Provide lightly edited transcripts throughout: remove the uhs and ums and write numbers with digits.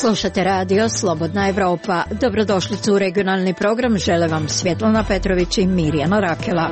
Slušate radio Slobodna Evropa. Dobrodošli u regionalni program. Žele vam Svjetlana Petrović i Mirjana Rakela.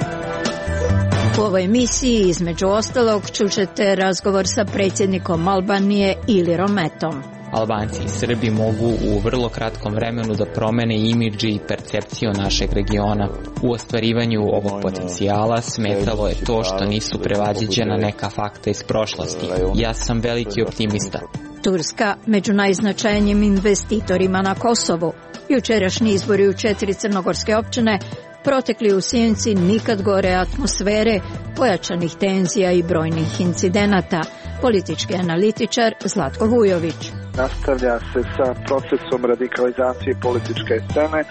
U ovoj emisiji između ostalog čućete razgovor sa predsjednikom Albanije Ilirom Metom. Albanci i Srbi mogu u vrlo kratkom vremenu da promene imidž i percepciju našeg regiona. U ostvarivanju ovog potencijala smetalo je to što nisu prevaziđena neka fakta iz prošlosti. Ja sam veliki optimista. Turska među najznačajnijim investitorima na Kosovu. Jučerašnji izbori u 4 crnogorske općine protekli u sjenci nikad gore atmosfere, pojačanih tenzija i brojnih incidenata. Politički analitičar Zlatko Vujović. Nastavlja se sa procesom radikalizacije političke scene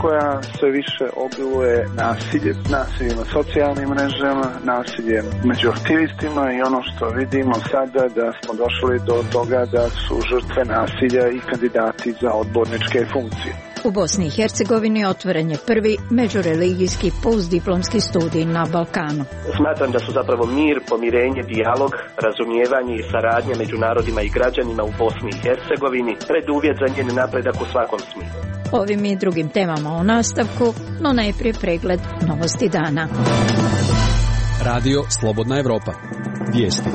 koja sve više obiluje nasiljem na socijalnim mrežama, nasiljem među aktivistima i ono što vidimo sada da smo došli do toga da su žrtve nasilja i kandidati za odborničke funkcije. U Bosni i Hercegovini otvoren je prvi međureligijski postdiplomski studij na Balkanu. Smatram da su zapravo mir, pomirenje, dijalog, razumijevanje i saradnja među narodima i građanima u Bosni i Hercegovini preduvjet za njen napredak u svakom smislu. Ovim i drugim temama u nastavku, no najprije pregled novosti dana. Radio Slobodna Evropa. Vijesti.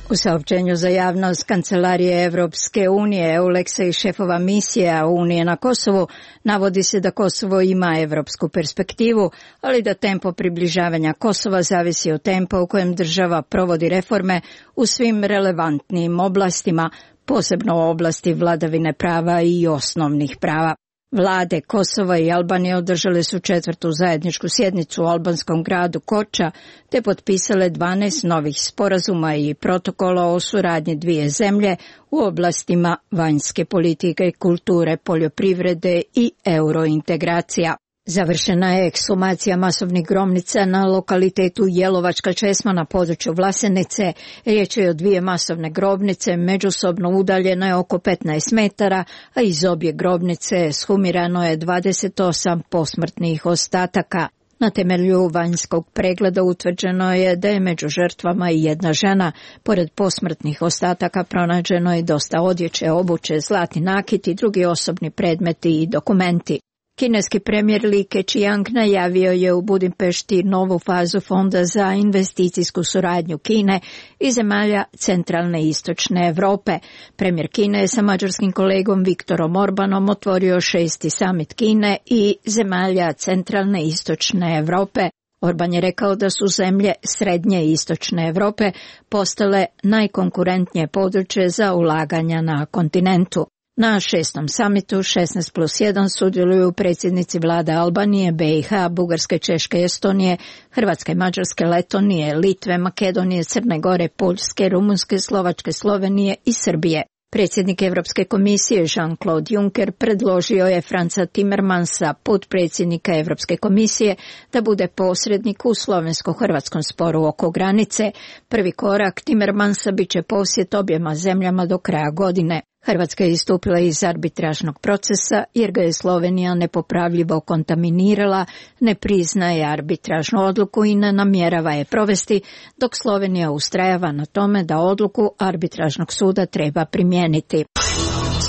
U saopćenju za javnost Kancelarije Evropske unije, EULEX-a i šefova misija Unije na Kosovu navodi se da Kosovo ima evropsku perspektivu, ali da tempo približavanja Kosova zavisi od tempa u kojem država provodi reforme u svim relevantnim oblastima, posebno u oblasti vladavine prava i osnovnih prava. Vlade Kosova i Albanije održale su 4. zajedničku sjednicu u albanskom gradu Koča te potpisale 12 novih sporazuma i protokola o suradnji dvije zemlje u oblastima vanjske politike, kulture, poljoprivrede i eurointegracija. Završena je ekshumacija masovnih grobnica na lokalitetu Jelovačka česma na području Vlasenice. Riječ je o 2 masovne grobnice, međusobno udaljene oko 15 metara, a iz obje grobnice ekshumirano je 28 posmrtnih ostataka. Na temelju vanjskog pregleda utvrđeno je da je među žrtvama i jedna žena. Pored posmrtnih ostataka pronađeno je dosta odjeće, obuće, zlatni nakit i drugi osobni predmeti i dokumenti. Kineski premijer Li Keqiang najavio je u Budimpešti novu fazu Fonda za investicijsku suradnju Kine i zemalja centralne i istočne Europe. Premijer Kine je sa mađarskim kolegom Viktorom Orbanom otvorio 6. samit Kine i zemalja centralne i istočne Europe. Orban je rekao da su zemlje srednje i istočne Europe postale najkonkurentnije područje za ulaganja na kontinentu. Na 6. samitu 16+1 sudjeluju predsjednici vlada Albanije, BiH, Bugarske, Češke, Estonije, Hrvatske, Mađarske, Letonije, Litve, Makedonije, Crne Gore, Poljske, Rumunjske, Slovačke, Slovenije i Srbije. Predsjednik Europske komisije Jean-Claude Juncker predložio je Franza Timmermansa, potpredsjednika Europske komisije, da bude posrednik u slovensko-hrvatskom sporu oko granice. Prvi korak Timmermansa bit će posjet objema zemljama do kraja godine. Hrvatska je istupila iz arbitražnog procesa jer ga je Slovenija nepopravljivo kontaminirala, ne priznaje arbitražnu odluku i ne namjerava je provesti, dok Slovenija ustrajava na tome da odluku arbitražnog suda treba primijeniti.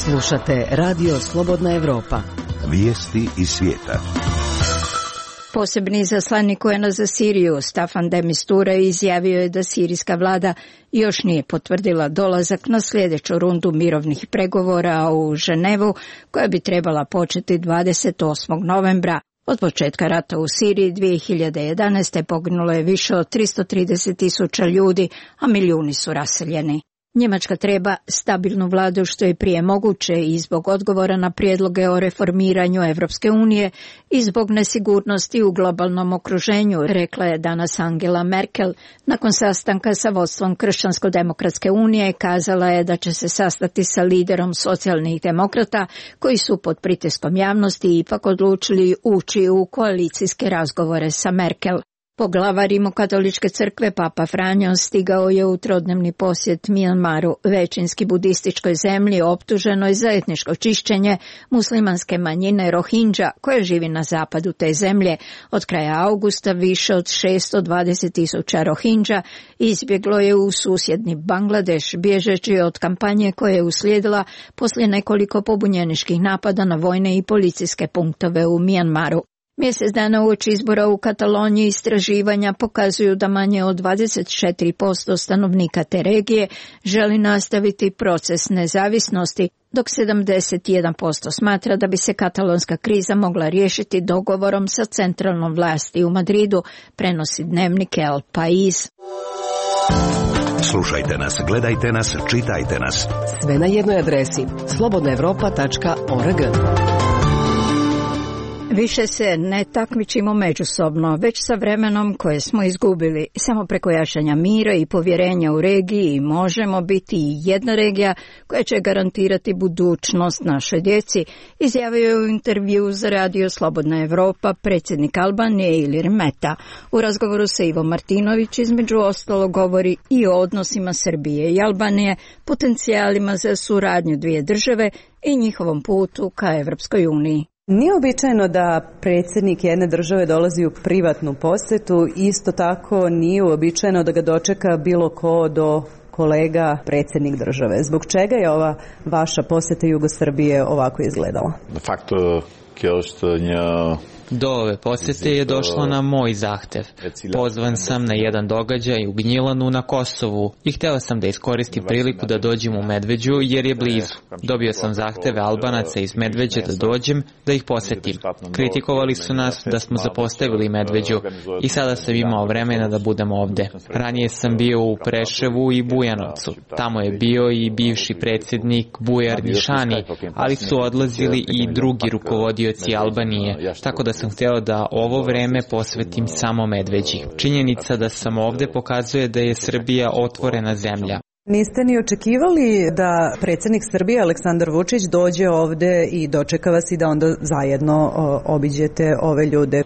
Slušate Radio Slobodna Evropa. Vijesti iz svijeta. Posebni izaslanik UN-a za Siriju, Staffan de Mistura, izjavio je da sirijska vlada još nije potvrdila dolazak na sljedeću rundu mirovnih pregovora u Ženevu, koja bi trebala početi 28. novembra. Od početka rata u Siriji 2011. poginulo je više od 330.000 ljudi, a milijuni su raseljeni. Njemačka treba stabilnu vladu što je prije moguće i zbog odgovora na prijedloge o reformiranju Evropske unije i zbog nesigurnosti u globalnom okruženju, rekla je danas Angela Merkel. Nakon sastanka sa vodstvom Kršćansko-demokratske unije kazala je da će se sastati sa liderom socijalnih demokrata koji su pod pritiskom javnosti ipak odlučili ući u koalicijske razgovore sa Merkel. Poglavar Rimokatoličke crkve Papa Franjo stigao je u trodnevni posjet Mijanmaru, većinski budističkoj zemlji optuženoj za etničko čišćenje muslimanske manjine Rohingya koja živi na zapadu te zemlje. Od kraja augusta više od 620.000 Rohingya izbjeglo je u susjedni Bangladeš, bježeći od kampanje koja je uslijedila poslije nekoliko pobunjeničkih napada na vojne i policijske punktove u Mijanmaru. Mjesec dana uoči izbora u Kataloniji istraživanja pokazuju da manje od 24% stanovnika te regije želi nastaviti proces nezavisnosti, dok 71% smatra da bi se katalonska kriza mogla riješiti dogovorom sa centralnom vlasti u Madridu, prenosi dnevnik El País. Slušajte nas, gledajte nas, čitajte nas. Sve na jednoj adresi slobodnaevropa.org. Više se ne takmičimo međusobno, već sa vremenom koje smo izgubili. Samo preko jačanja mira i povjerenja u regiji možemo biti i jedna regija koja će garantirati budućnost našoj djeci, izjavio je u intervju za radio Slobodna Evropa predsjednik Albanije Ilir Meta. U razgovoru sa Ivo Martinović između ostalo govori i o odnosima Srbije i Albanije, potencijalima za suradnju dvije države i njihovom putu ka Evropskoj uniji. Nije običajno da predsjednik jedne države dolazi u privatnu posjetu, isto tako nije uobičajeno da ga dočeka bilo ko do kolega predsjednik države. Zbog čega je ova vaša posjeta Jugosrbije ovako izgledala? De facto, do ove posjete je došlo na moj zahtev. Pozvan sam na jedan događaj u Gnjilanu na Kosovu i htio sam da iskoristim priliku da dođem u Medveđu jer je blizu. Dobio sam zahteve Albanaca iz Medveđe da dođem, da ih posjetim. Kritikovali su nas da smo zapostavili Medveđu i sada sam imao vremena da budem ovde. Ranije sam bio u Preševu i Bujanovcu. Tamo je bio i bivši predsjednik Bujar Nišani, ali su odlazili i drugi rukovodioci Albanije, tako da sam htio da ovo vreme posvetim samo Medveđi. Činjenica da sam ovde pokazuje da je Srbija otvorena zemlja. Niste ni očekivali da predsjednik Srbije Aleksandar Vučić dođe ovde i dočeka vas i da onda zajedno obiđete ove ljude?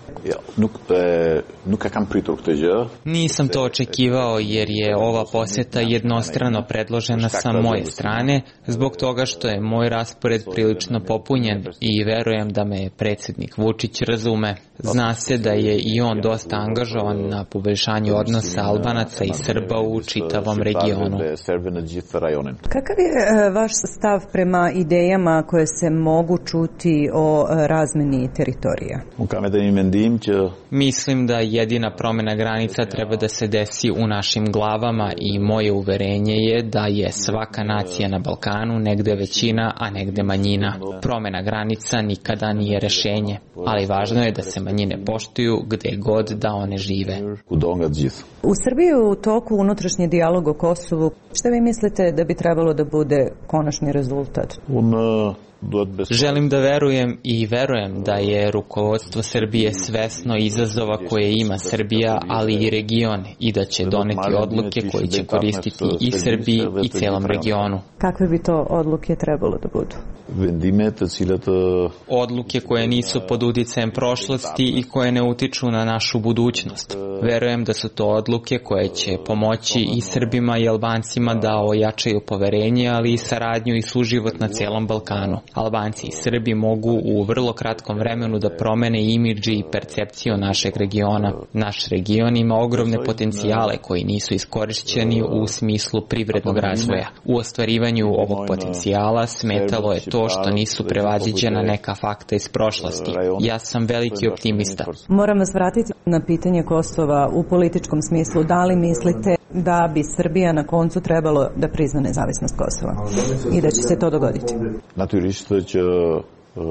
Nisam to očekivao jer je ova posjeta jednostrano predložena sa moje strane zbog toga što je moj raspored prilično popunjen i verujem da me predsjednik Vučić razume. Zna se da je i on dosta angažovan na poboljšanju odnosa Albanaca i Srba u čitavom regionu. Kakav je vaš stav prema idejama koje se mogu čuti o razmeni teritorija? Mislim da jedina promjena granica treba da se desi u našim glavama i moje uverenje je da je svaka nacija na Balkanu negde većina, a negde manjina. Promjena granica nikada nije rešenje, ali važno je da se manjine poštuju gde god da one žive. U Srbiji je u toku unutrašnji dijalog o Kosovu. Šta vi mislite da bi trebalo da bude konačni rezultat? Želim da verujem i verujem da je rukovodstvo Srbije svesno izazova koje ima Srbija, ali i region i da će doneti odluke koje će koristiti i Srbiji i celom regionu. Kakve bi to odluke trebalo da budu? Odluke koje nisu pod uticajem prošlosti i koje ne utiču na našu budućnost. Verujem da su to odluke koje će pomoći i Srbima i Albancima da ojačaju poverenje, ali i saradnju i suživot na celom Balkanu. Albanci i Srbi mogu u vrlo kratkom vremenu da promene imidž i percepciju našeg regiona. Naš region ima ogromne potencijale koji nisu iskorišćeni u smislu privrednog razvoja. U ostvarivanju ovog potencijala smetalo je to što nisu prevaziđena neka fakta iz prošlosti. Ja sam veliki optimista. Moram vas vratiti na pitanje Kosova u političkom smislu. Da li mislite da bi Srbija na koncu trebalo da prizna nezavisnost Kosova i da će se to dogoditi?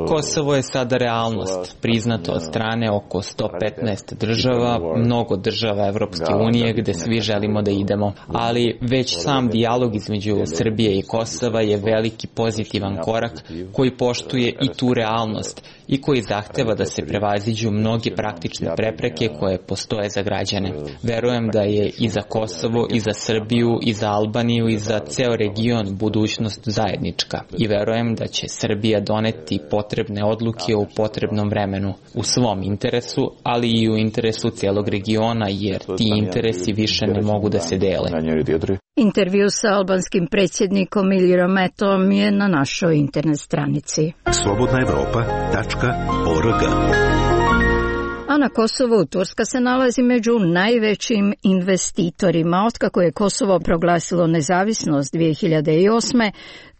Kosovo je sada realnost, priznato od strane oko 115 država, mnogo država Evropske unije gde svi želimo da idemo. Ali već sam dijalog između Srbije i Kosova je veliki pozitivan korak koji poštuje i tu realnost i koji zahteva da se prevaziđu mnoge praktične prepreke koje postoje za građane. Verujem da je i za Kosovo, i za Srbiju, i za Albaniju, i za ceo region budućnost zajednička. I verujem da će Srbija doneti potrebne odluke u potrebnom vremenu, u svom interesu, ali i u interesu cijelog regiona, jer ti interesi više ne mogu da se dele. Intervju sa albanskim predsjednikom Ilirom Metom je na našoj internet stranici. slobodnaevropa.org. A na Kosovu Turska se nalazi među najvećim investitorima. Otkako je Kosovo proglasilo nezavisnost 2008.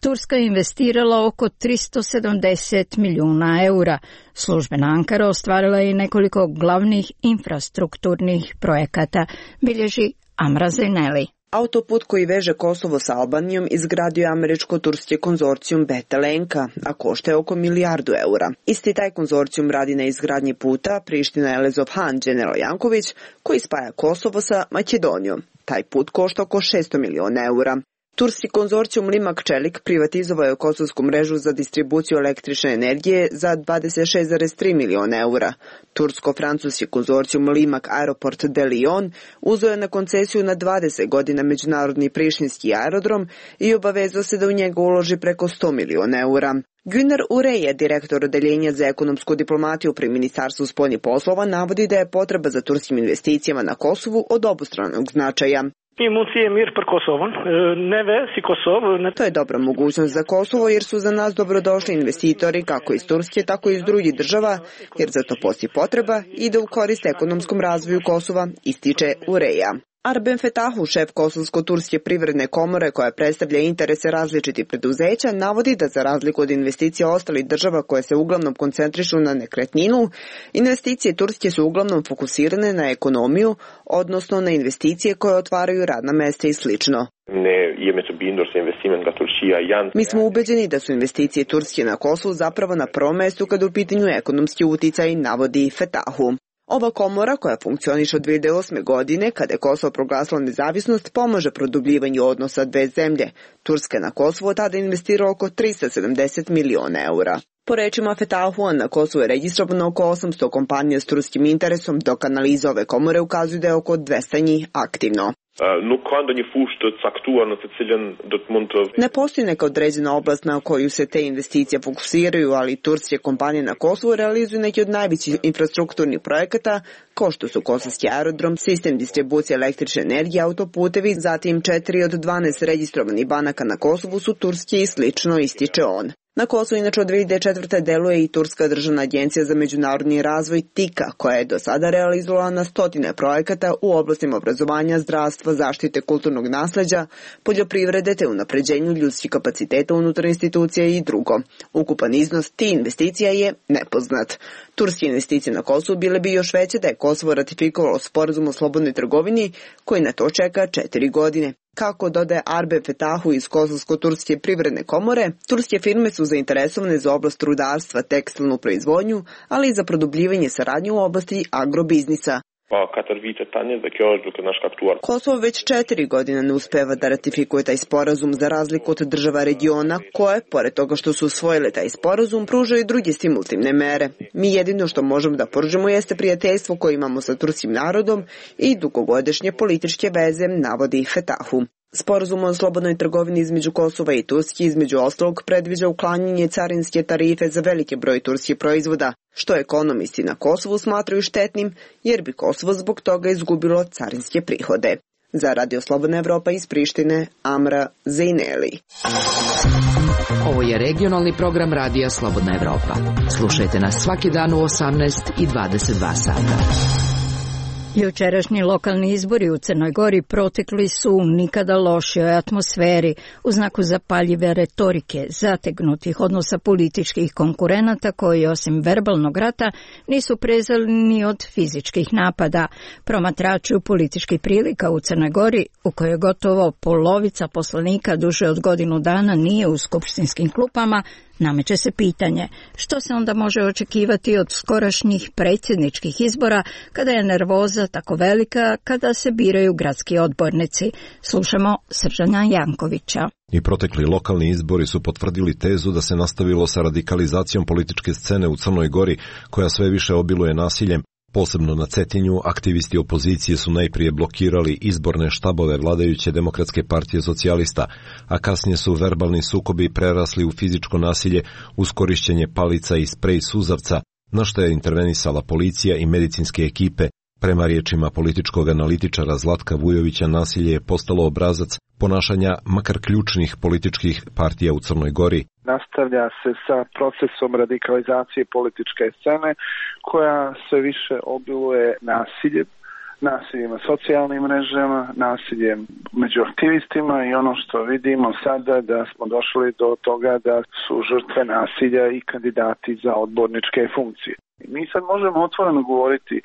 Turska je investirala oko 370 milijuna eura. Službena Ankara ostvarila je i nekoliko glavnih infrastrukturnih projekata, bilježi Amra Zaineli. Autoput koji veže Kosovo s Albanijom izgradio je američko-turski konzorcijum Betelenka, a košta je oko milijardu eura. Isti taj konzorcijum radi na izgradnji puta Priština-Elezov-Han General Janković, koji spaja Kosovo sa Makedonijom. Taj put košta oko 600 milijuna eura. Turski konzorcijum Limak Čelik privatizovao je kosovsku mrežu za distribuciju električne energije za 26,3 milijuna eura. Tursko-francuski konzorcijum Limak Aeroport de Lyon uzeo je na koncesiju na 20 godina međunarodni prištinski aerodrom i obavezao se da u njega uloži preko 100 milijuna eura. Güner Ureje, direktor odeljenja za ekonomsku diplomatiju pri Ministarstvu spoljnih poslova, navodi da je potreba za turskim investicijama na Kosovu od obostranog značaja. To je dobra mogućnost za Kosovo jer su za nas dobrodošli investitori kako iz Turske, tako i iz drugih država, jer za to postoji potreba i da u korist ekonomskom razvoju Kosova, ističe Ureja. Arben Fetahu, šef Kosovsko-turske privredne komore koja predstavlja interese različitih preduzeća, navodi da za razliku od investicija ostalih država koje se uglavnom koncentrišu na nekretninu, investicije Turske su uglavnom fokusirane na ekonomiju, odnosno na investicije koje otvaraju radna mesta i slično. Mi smo ubeđeni da su investicije Turske na Kosovu zapravo na prvom mestu kada u pitanju ekonomski uticaj, navodi Fetahu. Ova komora, koja funkcioniše od 2008. godine, kada je Kosovo proglasilo nezavisnost, pomaže produbljivanju odnosa dve zemlje. Turska je na Kosovo tada investirala oko 370 milijuna eura. Po rečima Fetahua, na Kosovu je registrovano oko 800 kompanija s turskim interesom, dok analize ove komore ukazuju da je oko 200 njih aktivno. Ne postoji neka određena oblast na koju se te investicije fokusiraju, ali turske kompanije na Kosovu realizuju neki od najvećih infrastrukturnih projekata, kao što su kosovski aerodrom, sistem distribucije električne energije, autoputevi, zatim 4 od 12 registrovanih banaka na Kosovu su turske i slično, ističe on. Na Kosovu inače od 2004. deluje i Turska državna agencija za međunarodni razvoj TIKA, koja je do sada realizovala na stotine projekata u oblastima obrazovanja, zdravstva, zaštite kulturnog nasleđa, poljoprivrede te unapređenju ljudskih kapaciteta unutar institucija i drugo. Ukupan iznos tih investicija je nepoznat. Turske investicije na Kosovu bile bi još veće da je Kosovo ratifikovalo sporazum o slobodnoj trgovini, koji na to čeka 4 godine. Kako dodaje Arben Fetahu iz Kosovsko-turske privredne komore, turske firme su zainteresovane za oblast rudarstva, tekstilnu proizvodnju, ali i za produbljivanje saradnje u oblasti agrobiznisa. Kosovo već 4 godine ne uspeva da ratifikuje taj sporazum za razliku od država regiona koje, pored toga što su usvojile taj sporazum, pružaju i druge stimulativne mere. Mi jedino što možemo da pružimo jeste prijateljstvo koje imamo sa turskim narodom i dugogodišnje političke veze, navodi Fetahu. Sporazum o slobodnoj trgovini između Kosova i Turske između ostalog predviđa uklanjanje carinske tarife za veliki broj turskih proizvoda, što ekonomisti na Kosovu smatraju štetnim jer bi Kosovo zbog toga izgubilo carinske prihode. Za Radio Slobodna Evropa iz Prištine, Amra Zaineli. Ovo je regionalni program Radija Slobodna Evropa. Slušajte nas svaki dan u 18 i 22 sata. Jučerašnji lokalni izbori u Crnoj Gori protekli su u nikada lošijoj atmosferi, u znaku zapaljive retorike, zategnutih odnosa političkih konkurenata koji osim verbalnog rata nisu prezali ni od fizičkih napada. Promatrači političkih prilika u Crnoj Gori, u kojoj gotovo polovica poslanika duže od godinu dana nije u skupštinskim klupama, nameće se pitanje što se onda može očekivati od skorašnjih predsjedničkih izbora kada je nervoza tako velika kada se biraju gradski odbornici. Slušamo Sržana Jankovića. I protekli lokalni izbori su potvrdili tezu da se nastavilo sa radikalizacijom političke scene u Crnoj Gori, koja sve više obiluje nasiljem. Posebno na Cetinju, aktivisti opozicije su najprije blokirali izborne štabove vladajuće Demokratske partije socijalista, a kasnije su verbalni sukobi prerasli u fizičko nasilje uz korišćenje palica i sprej suzavca, na što je intervenisala policija i medicinske ekipe. Prema riječima političkog analitičara Zlatka Vujovića, nasilje je postalo obrazac ponašanja makar ključnih političkih partija u Crnoj Gori. Nastavlja se sa procesom radikalizacije političke scene koja sve više obiluje nasiljem na socijalnim mrežama, nasiljem među aktivistima i ono što vidimo sada da smo došli do toga da su žrtve nasilja i kandidati za odborničke funkcije. Mi sad možemo otvoreno govoriti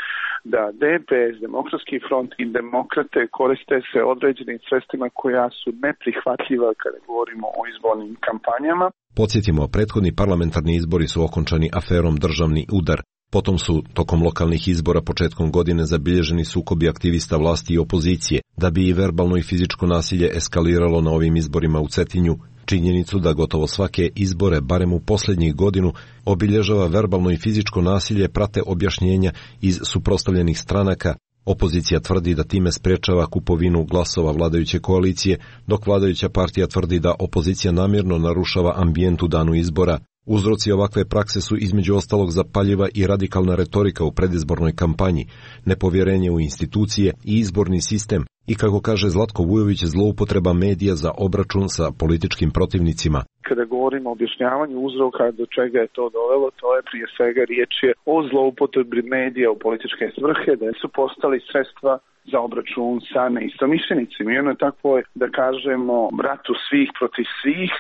da DPS, Demokratski front i demokrate koriste se određenim sredstvima koja su neprihvatljiva kada govorimo o izbornim kampanjama. Podsjetimo, prethodni parlamentarni izbori su okončani aferom Državni udar. Potom su, tokom lokalnih izbora početkom godine, zabilježeni sukobi aktivista vlasti i opozicije, da bi i verbalno i fizičko nasilje eskaliralo na ovim izborima u Cetinju. Činjenicu da gotovo svake izbore, barem u posljednjih godinu, obilježava verbalno i fizičko nasilje prate objašnjenja iz suprotstavljenih stranaka. Opozicija tvrdi da time sprečava kupovinu glasova vladajuće koalicije, dok vladajuća partija tvrdi da opozicija namjerno narušava ambijent u danu izbora. Uzroci ovakve prakse su između ostalog zapaljiva i radikalna retorika u predizbornoj kampanji, nepovjerenje u institucije i izborni sistem i, kako kaže Zlatko Vujović, zloupotreba medija za obračun sa političkim protivnicima. Kada govorimo o objašnjavanju uzroka do čega je to dovelo, to je prije svega riječ je o zloupotrebi medija u političke svrhe, da su postali sredstva za obračun sa neistomišljenicima. I ono je tako, da kažemo, ratu svih protiv svih,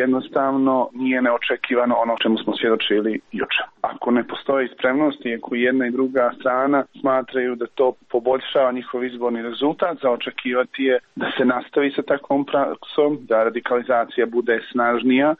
jednostavno nije neočekivano ono čemu smo svjedočili jučer. Ako ne postoji spremnost i ako jedna i druga strana smatraju da to poboljšava njihov izborni rezultat, za očekivati je da se nastavi sa takvom praksom, da radikalizacija bude snažnija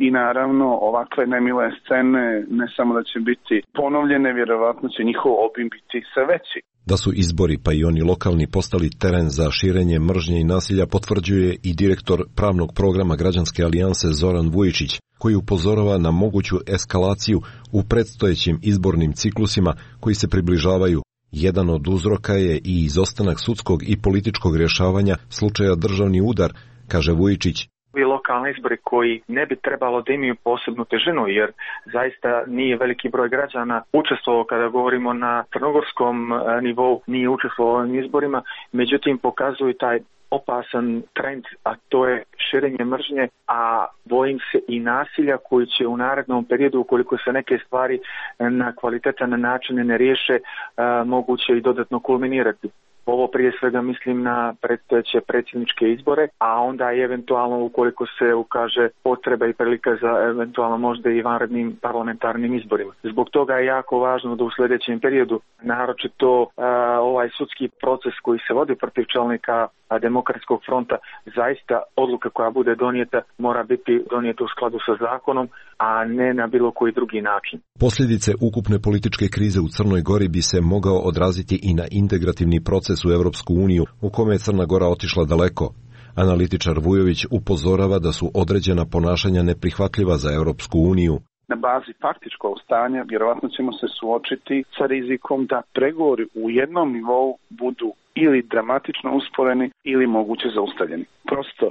i naravno ovakve nemile scene ne samo da će biti ponovljene, vjerovatno će njihov obim biti sve veći. Da su izbori, pa i oni lokalni, postali teren za širenje mržnje i nasilja, potvrđuje i direktor pravnog programa Građanske alijanse Zoran Vujičić, koji upozorava na moguću eskalaciju u predstojećim izbornim ciklusima koji se približavaju. Jedan od uzroka je i izostanak sudskog i političkog rješavanja slučaja Državni udar, kaže Vujičić. Lokalni izbori koji ne bi trebalo da imaju posebnu težinu, jer zaista nije veliki broj građana učestvovao, kada govorimo na crnogorskom nivou, nije učestvovao u ovim izborima, međutim pokazuju taj opasan trend, a to je širenje mržnje, a bojim se i nasilja koji će u narednom periodu, ukoliko se neke stvari na kvalitetan način ne riješe, moguće i dodatno kulminirati. Ovo prije svega mislim na predstojeće predsjedničke izbore, a onda i eventualno ukoliko se ukaže potreba i prilika za eventualno možda i vanrednim parlamentarnim izborima. Zbog toga je jako važno da u sljedećem periodu, naročito ovaj sudski proces koji se vodi protiv čelnika Demokratskog fronta, zaista odluka koja bude donijeta mora biti donijeta u skladu sa zakonom, a ne na bilo koji drugi način. Posljedice ukupne političke krize u Crnoj Gori bi se mogao odraziti i na integrativni proces u Europsku uniju, u kome je Crna Gora otišla daleko. Analitičar Vujović upozorava da su određena ponašanja neprihvatljiva za Europsku uniju. Na bazi faktičkog stanja vjerovatno ćemo se suočiti sa rizikom da pregovori u jednom nivou budu ili dramatično usporeni ili moguće zaustavljeni. Prosto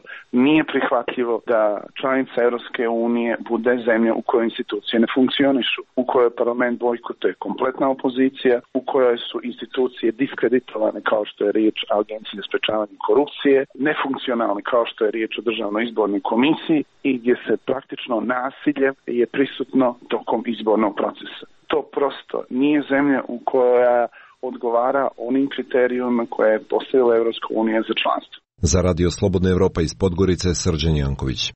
nije prihvatljivo da članica Europske unije bude zemlja u kojoj institucije ne funkcionišu, u kojoj parlament bojkotuje kompletna opozicija, u kojoj su institucije diskreditovane kao što je riječ o Agenciji za sprečavanje korupcije, nefunkcionalne kao što je riječ o Državnoj izbornoj komisiji i gdje se praktično nasilje je prisutno tokom izbornog procesa. To prosto nije zemlja u kojoj odgovara onim kriterijima koje je postavila Europska unija za članstvo. Za Radio Slobodna Evropa iz Podgorice, Srđan Janković.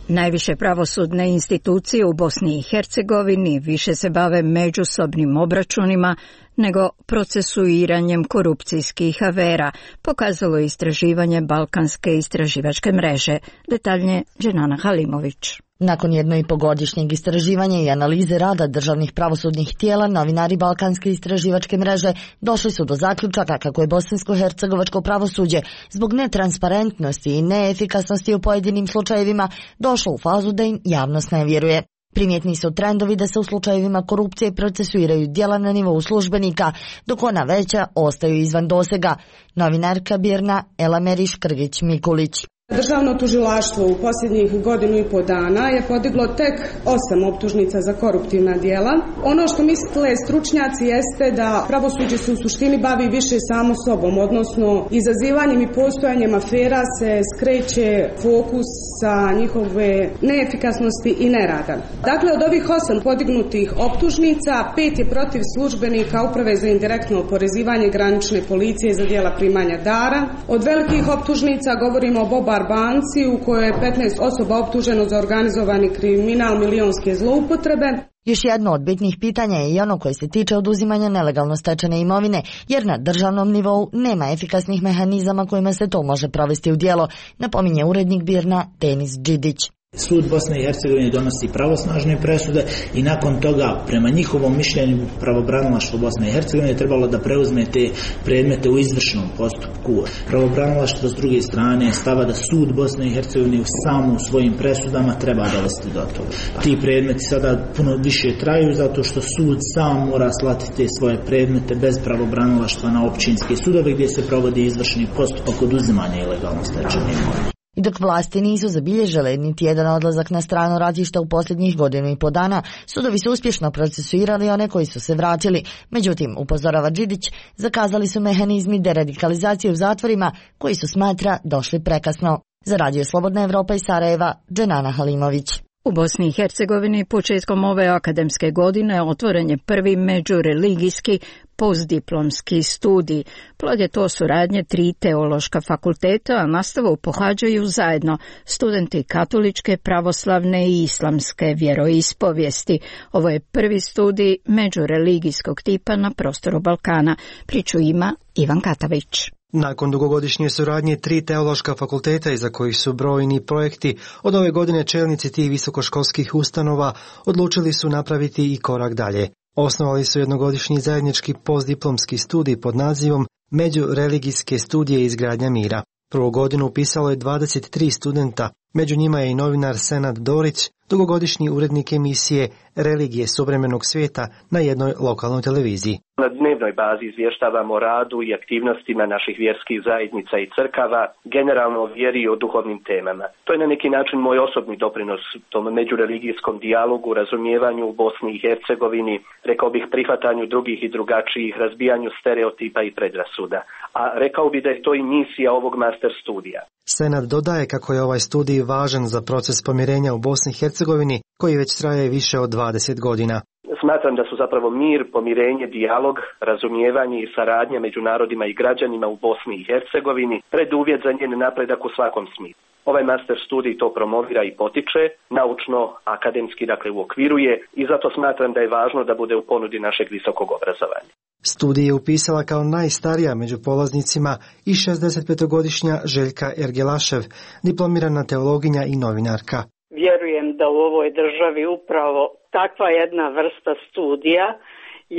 Najviše pravosudne institucije u Bosni i Hercegovini više se bave međusobnim obračunima nego procesuiranjem korupcijskih afera, pokazalo je istraživanje Balkanske istraživačke mreže. Detaljnije Dženana Halimović. Nakon 1,5-godišnjeg istraživanja i analize rada državnih pravosudnih tijela, novinari Balkanske istraživačke mreže došli su do zaključaka kako je bosansko-hercegovačko pravosuđe zbog netransparentnosti i neefikasnosti u pojedinim slučajevima došlo u fazu da im javnost ne vjeruje. Primjetni su trendovi da se u slučajevima korupcije procesuiraju djela na nivou službenika, dok ona veća ostaju izvan dosega. Novinarka Birna Elameri Škrgić-Mikulić. Državno tužilaštvo u posljednjih godinu i po dana je podiglo tek 8 optužnica za koruptivna djela. Ono što misle stručnjaci jeste da pravosuđe se u suštini bavi više samo sobom, odnosno izazivanjem i postojanjem afera se skreće fokus sa njihove neefikasnosti i nerada. Dakle, od ovih 8 podignutih optužnica, 5 je protiv službenika Uprave za indirektno oporezivanje granične policije za djela primanja dara. Od velikih optužnica govorimo o Bobar banci u kojoj je 15 osoba optuženo za organizovani kriminal, milionske zloupotrebe. Još jedno od bitnih pitanja je i ono koje se tiče oduzimanja nelegalno stečene imovine, jer na državnom nivou nema efikasnih mehanizama kojima se to može provesti u djelo, napominje urednik Birna Denis Đidić. Sud Bosne i Hercegovine donosi pravosnažne presude i nakon toga, prema njihovom mišljenju, pravobranilaštvo Bosne i Hercegovine trebalo da preuzme te predmete u izvršnom postupku. Pravobranilaštvo s druge strane stava da sud Bosne i Hercegovine samo u svojim presudama treba dovesti do toga. Ti predmeti sada puno više traju zato što sud sam mora slati te svoje predmete bez pravobranilaštva na općinske sudove gdje se provodi izvršni postupak oduzimanja ilegalno stečene imovine. I dok vlasti nisu zabilježile niti jedan odlazak na strano ratište u posljednjih godinu i po dana, sudovi su uspješno procesuirali one koji su se vratili. Međutim, upozorava Đidić, zakazali su mehanizmi deradikalizacije u zatvorima koji su, smatra, došli prekasno. Za Radio Slobodna Evropa iz Sarajeva, Dženana Halimović. U Bosni i Hercegovini početkom ove akademske godine otvoren je prvi međureligijski postdiplomski studij. Plod je to suradnje 3 teološka fakulteta, a nastavu pohađaju zajedno studenti katoličke, pravoslavne i islamske vjeroispovijesti. Ovo je prvi studij međureligijskog tipa na prostoru Balkana. Priču ima Ivan Katavić. Nakon dugogodišnje suradnje 3 teološka fakulteta iza kojih su brojni projekti, od ove godine čelnici tih visokoškolskih ustanova odlučili su napraviti i korak dalje. Osnovali su jednogodišnji zajednički postdiplomski studij pod nazivom Međureligijske studije i izgradnja mira. Prvu godinu upisalo je 23 studenta, među njima je i novinar Senad Dorić, dugogodišnji urednik emisije Religije suvremenog svijeta na jednoj lokalnoj televiziji. Na dnevnoj bazi izvještavamo o radu i aktivnostima naših vjerskih zajednica i crkava, generalno o vjeri i o duhovnim temama. To je na neki način moj osobni doprinos tom međureligijskom dijalogu, razumijevanju u Bosni i Hercegovini, rekao bih prihvatanju drugih i drugačijih, razbijanju stereotipa i predrasuda. A rekao bih da je to i misija ovog master studija. Senad dodaje kako je ovaj studij važan za proces pomirenja u Bosni i Hercegovini, koji već traje više od 20 godina. Smatram da su zapravo mir, pomirenje, dijalog, razumijevanje i saradnja među narodima i građanima u Bosni i Hercegovini preduvjet za njen napredak u svakom smislu. Ovaj master studij to promovira i potiče, naučno, akademski dakle uokviruje i zato smatram da je važno da bude u ponudi našeg visokog obrazovanja. Studij je upisala kao najstarija među polaznicima i 65-godišnja Željka Ergelašev, diplomirana teologinja i novinarka. Vjerujem da u ovoj državi upravo takva jedna vrsta studija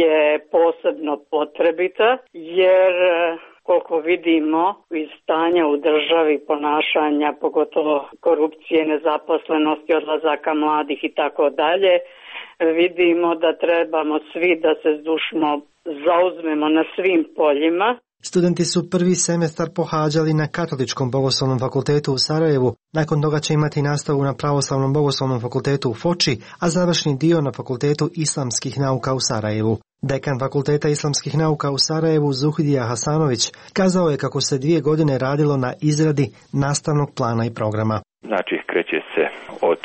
je posebno potrebita, jer koliko vidimo iz stanja u državi, ponašanja, pogotovo korupcije, nezaposlenosti, odlazaka mladih i tako dalje, vidimo da trebamo svi da se zdušno zauzmemo na svim poljima. Studenti su prvi semestar pohađali na Katoličkom bogoslovnom fakultetu u Sarajevu, nakon toga će imati nastavu na Pravoslavnom bogoslovnom fakultetu u Foči, a završni dio na Fakultetu islamskih nauka u Sarajevu. Dekan Fakulteta islamskih nauka u Sarajevu, Zuhdija Hasanović, kazao je kako se 2 godine radilo na izradi nastavnog plana i programa. Znači, kreće se od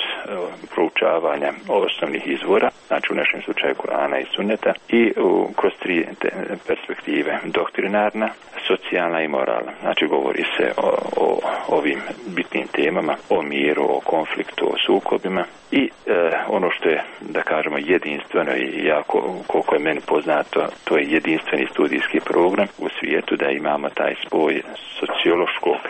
proučavanja osnovnih izvora, znači u našem slučaju Kurana i Sunneta, i kroz 3 perspektive: doktrinarna, socijalna i moralna. Znači, govori se o ovim bitnim temama, o miru, o konfliktu, o sukobima i ono što je, da kažemo, jedinstveno i jako, koliko je meni poznato, to je jedinstveni studijski program u svijetu, da imamo taj spoj sociološkog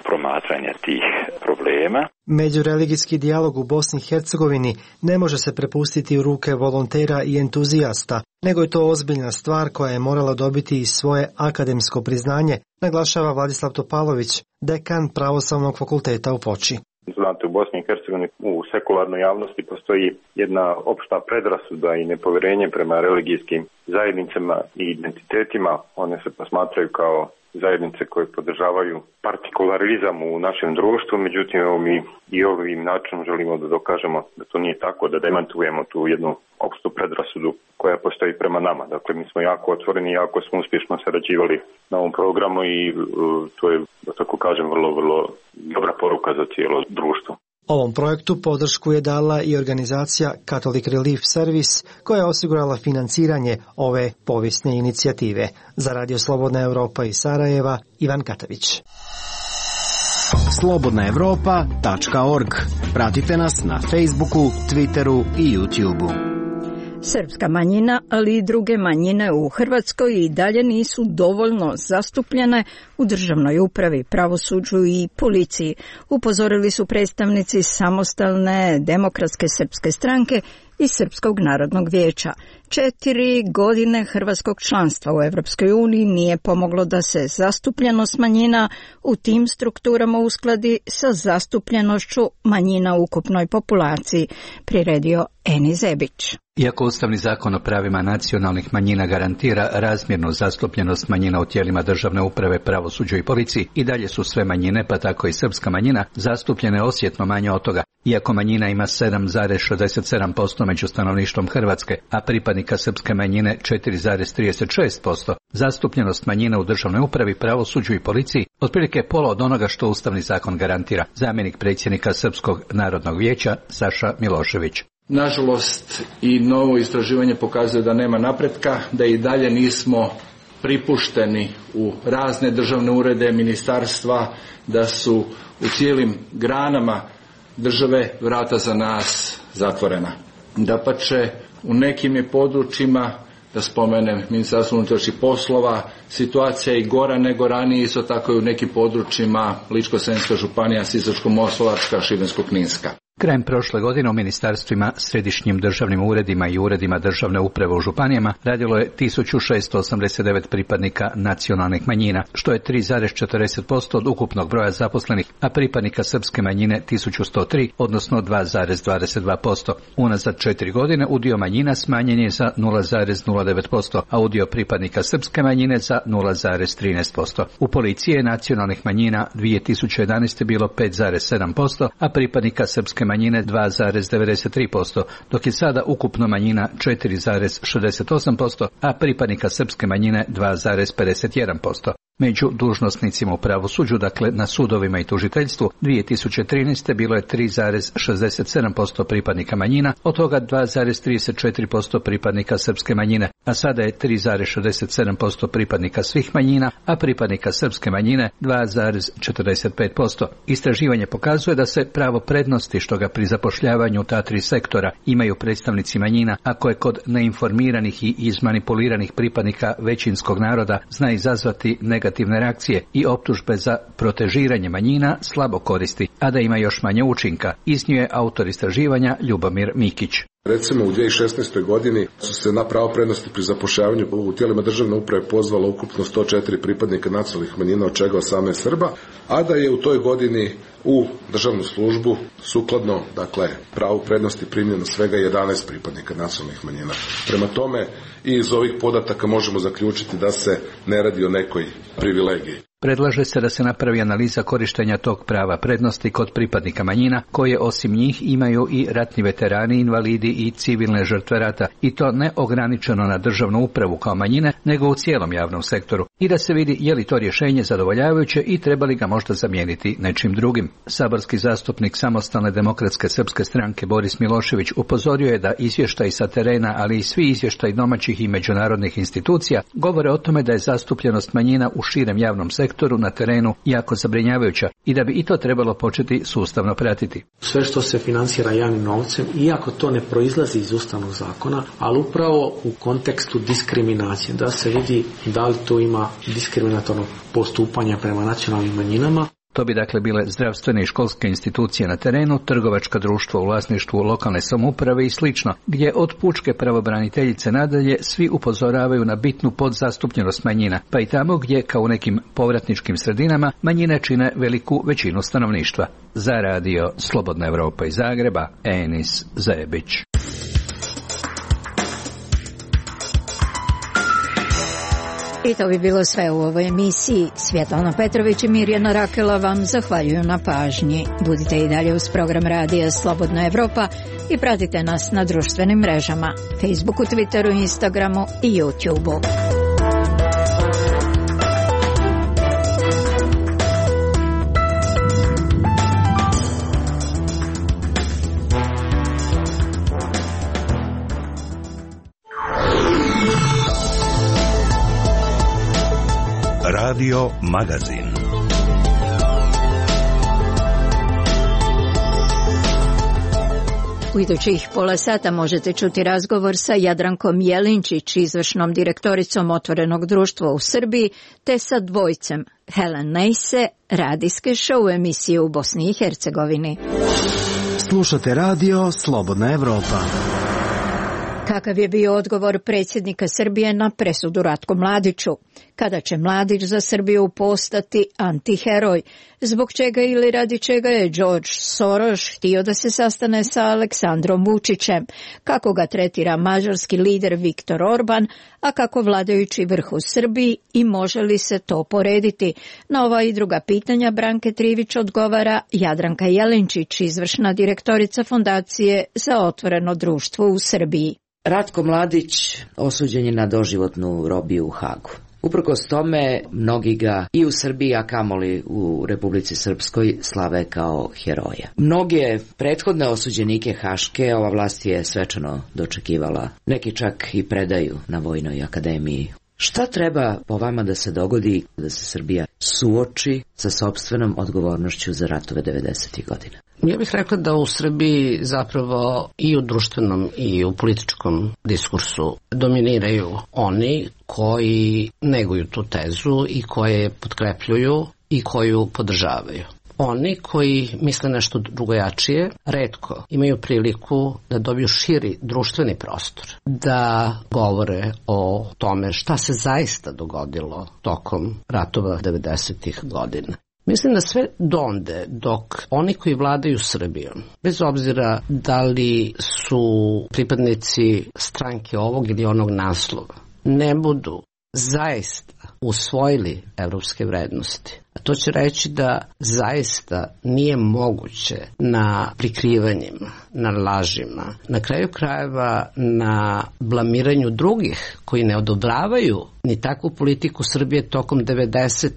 promatranja tih problema. Međureligijski dijalog u Bosni i Hercegovini ne može se prepustiti u ruke volontera i entuzijasta, nego je to ozbiljna stvar koja je morala dobiti i svoje akademsko priznanje, naglašava Vladislav Topalović, dekan Pravoslavnog fakulteta u Foči. Znate, u Bosni i Hercegovini u sekularnoj javnosti postoji jedna opšta predrasuda i nepovjerenje prema religijskim zajednicama i identitetima. One se posmatraju kao zajednice koje podržavaju partikularizam u našem društvu, međutim evo mi i ovim načinom želimo da dokažemo da to nije tako, da demantujemo tu jednu opštu predrasudu koja postoji prema nama. Dakle, mi smo jako otvoreni i jako smo uspješno sarađivali na ovom programu i to je, da tako kažem, vrlo dobra poruka za cijelo društvo. Ovom projektu podršku je dala i organizacija Catholic Relief Service, koja je osigurala financiranje ove povijesne inicijative. Za Radio Slobodna Evropa iz Sarajeva, Ivan Katavić. slobodnaevropa.org. Pratite nas na Facebooku, Twitteru i YouTubeu. Srpska manjina, ali i druge manjine u Hrvatskoj i dalje nisu dovoljno zastupljene u državnoj upravi, pravosuđu i policiji, upozorili su predstavnici Samostalne demokratske srpske stranke i Srpskog narodnog vijeća. 4 godine hrvatskog članstva u Europskoj uniji nije pomoglo da se zastupljenost manjina u tim strukturama uskladi sa zastupljenošću manjina u ukupnoj populaciji, priredio Eni Zebić. Iako Ustavni zakon o pravima nacionalnih manjina garantira razmjernu zastupljenost manjina u tijelima državne uprave, pravosuđu i policiji, i dalje su sve manjine, pa tako i srpska manjina, zastupljene osjetno manje od toga. Iako manjina ima 7,67% među stanovništvom Hrvatske, a pripadnika srpske manjine 4,36%, zastupljenost manjina u državnoj upravi, pravosuđu i policiji otprilike je pola od onoga što Ustavni zakon garantira. Zamjenik predsjednika Srpskog narodnog vijeća Saša Milošević. Nažalost, i novo istraživanje pokazuje da nema napretka, da i dalje nismo pripušteni u razne državne urede, ministarstva, da su u cijelim granama države vrata za nas zatvorena. Dapače, u nekim je područjima, da spomenem Ministarstvo unutrašnjih poslova, situacija je i gora nego ranije, isto tako i u nekim područjima Ličko-senjska županija, Sisačko-moslavačka, Šibensko-kninska. Krajem prošle godine u ministarstvima, središnjim državnim uredima i uredima državne uprave u županijama radilo je 1689 pripadnika nacionalnih manjina, što je 3,40% od ukupnog broja zaposlenih, a pripadnika srpske manjine 1103, odnosno 2,22%. Unazad 4 godine udio manjina smanjen je za 0,09%, a udio pripadnika srpske manjine za 0,13%. U policiji je nacionalnih manjina 2011. bilo 5,7%, a pripadnika srpske manjine 2,93%, dok je sada ukupno manjina 4,68%, a pripadnika srpske manjine 2,51%. Među dužnosnicima u pravosuđu, dakle na sudovima i tužiteljstvu, 2013. bilo je 3,67% pripadnika manjina, od toga 2,34% pripadnika srpske manjine, a sada je 3,67% pripadnika svih manjina, a pripadnika srpske manjine 2,45%. Istraživanje pokazuje da se pravo prednosti što ga pri zapošljavanju ta 3 sektora imaju predstavnici manjina, ako je kod neinformiranih i izmanipuliranih pripadnika većinskog naroda zna izazvati negativne reakcije i optužbe za protežiranje manjina slabo koristi, a da ima još manje učinka, iznio je autor istraživanja Ljubomir Mikić. Recimo u 2016. godini su se na pravo prednosti pri zapošljavanju u tijelima državne uprave pozvalo ukupno 104 pripadnika nacionalnih manjina, od čega 18 Srba, a da je u toj godini u državnu službu sukladno, dakle, pravu prednosti primljeno svega 11 pripadnika nacionalnih manjina. Prema tome, i iz ovih podataka možemo zaključiti da se ne radi o nekoj privilegiji. Predlaže se da se napravi analiza korištenja tog prava prednosti kod pripadnika manjina, koje osim njih imaju i ratni veterani, invalidi i civilne žrtve rata, i to ne ograničeno na državnu upravu kao manjine, nego u cijelom javnom sektoru, i da se vidi je li to rješenje zadovoljavajuće i treba li ga možda zamijeniti nečim drugim. Saborski zastupnik Samostalne demokratske srpske stranke Boris Milošević upozorio je da izvještaj sa terena, ali i svi izvještaj domaćih i međunarodnih institucija govore o tome da je zastupljenost manjina u širem javnom sektoru na terenu jako zabrinjavajuća i da bi i to trebalo početi sustavno pratiti. Sve što se financira javnim novcem, iako to ne proizlazi iz Ustavnog zakona, ali upravo u kontekstu diskriminacije, da se vidi da li to ima diskriminatorno postupanje prema nacionalnim manjinama. To bi dakle bile zdravstvene i školske institucije na terenu, trgovačka društva u vlasništvu lokalne samouprave i slično, gdje od pučke pravobraniteljice nadalje svi upozoravaju na bitnu podzastupljenost manjina, pa i tamo gdje, kao u nekim povratničkim sredinama, manjine čine veliku većinu stanovništva. Za radio Slobodna Evropa iz Zagreba, Enis Zajebić. I to bi bilo sve u ovoj emisiji. Svjetlana Petrović i Mirjana Rakela vam zahvaljuju na pažnji. Budite i dalje uz program radija Slobodna Evropa i pratite nas na društvenim mrežama, Facebooku, Twitteru, Instagramu i YouTubeu. Radio Magazin. U idućih pola sata možete čuti razgovor sa Jadrankom Jelinčić, izvršnom direktoricom Otvorenog društva u Srbiji, te sa dvojcem Helen Nejse, radijske show emisije u Bosni i Hercegovini. Slušate radio Slobodna Evropa. Kakav je bio odgovor predsjednika Srbije na presudu Ratku Mladiću? Kada će Mladić za Srbiju postati antiheroj? Zbog čega ili radi čega je George Soros htio da se sastane sa Aleksandrom Vučićem? Kako ga tretira mađarski lider Viktor Orban, a kako vladajući vrh u Srbiji i može li se to porediti? Na ova i druga pitanja Branke Trivić odgovara Jadranka Jelinčić, izvršna direktorica Fondacije za otvoreno društvo u Srbiji. Ratko Mladić osuđen je na doživotnu robiju u Hagu. Uprkos tome, mnogi ga i u Srbiji, a kamoli u Republici Srpskoj, slave kao heroja. Mnoge prethodne osuđenike Haške ova vlast je svečano dočekivala. Neki čak i predaju na Vojnoj akademiji. Šta treba po vama da se dogodi da se Srbija suoči sa sopstvenom odgovornošću za ratove 90. godina? Ja bih rekla da u Srbiji zapravo i u društvenom i u političkom diskursu dominiraju oni koji neguju tu tezu i koje potkrepljuju i koju podržavaju. Oni koji misle nešto drugojačije retko imaju priliku da dobiju širi društveni prostor, da govore o tome šta se zaista dogodilo tokom ratova 90. godina. Mislim da sve donde dok oni koji vladaju Srbijom, bez obzira da li su pripadnici stranke ovog ili onog naslova, ne budu zaista usvojili evropske vrednosti. A to će reći da zaista nije moguće na prikrivanjima, na lažima, na kraju krajeva na blamiranju drugih koji ne odobravaju ni takvu politiku Srbije tokom 90.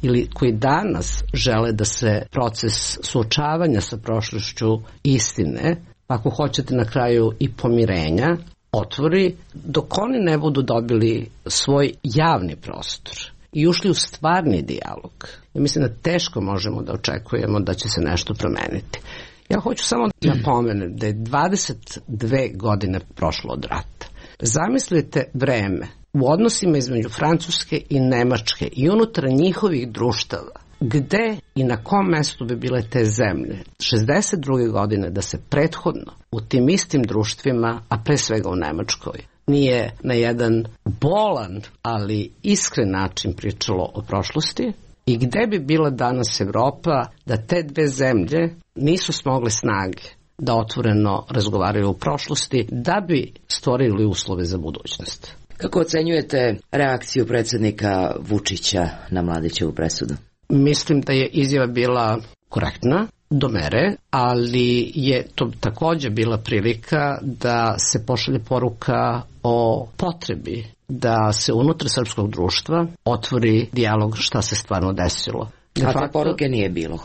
ili koji danas žele da se proces suočavanja sa prošlošću istine, ako hoćete na kraju i pomirenja, otvori, dok oni ne budu dobili svoj javni prostor i ušli u stvarni dijalog. Ja mislim da teško možemo da očekujemo da će se nešto promeniti. Ja hoću samo da napomenem da je 22 godine prošlo od rata. Zamislite vreme u odnosima između Francuske i Nemačke i unutar njihovih društava, gde i na kom mestu bi bile te zemlje 62. godine da se prethodno u tim istim društvima, a pre svega u Nemačkoj, nije na jedan bolan, ali iskren način pričalo o prošlosti i gde bi bila danas Evropa da te dve zemlje nisu smogle snage da otvoreno razgovaraju o prošlosti da bi stvorili uslove za budućnost. Kako ocenjujete reakciju predsjednika Vučića na Mladićevu presudu? Mislim da je izjava bila korektna do mere, ali je to također bila prilika da se pošalje poruka o potrebi da se unutar srpskog društva otvori dijalog šta se stvarno desilo. A te poruke nije bilo?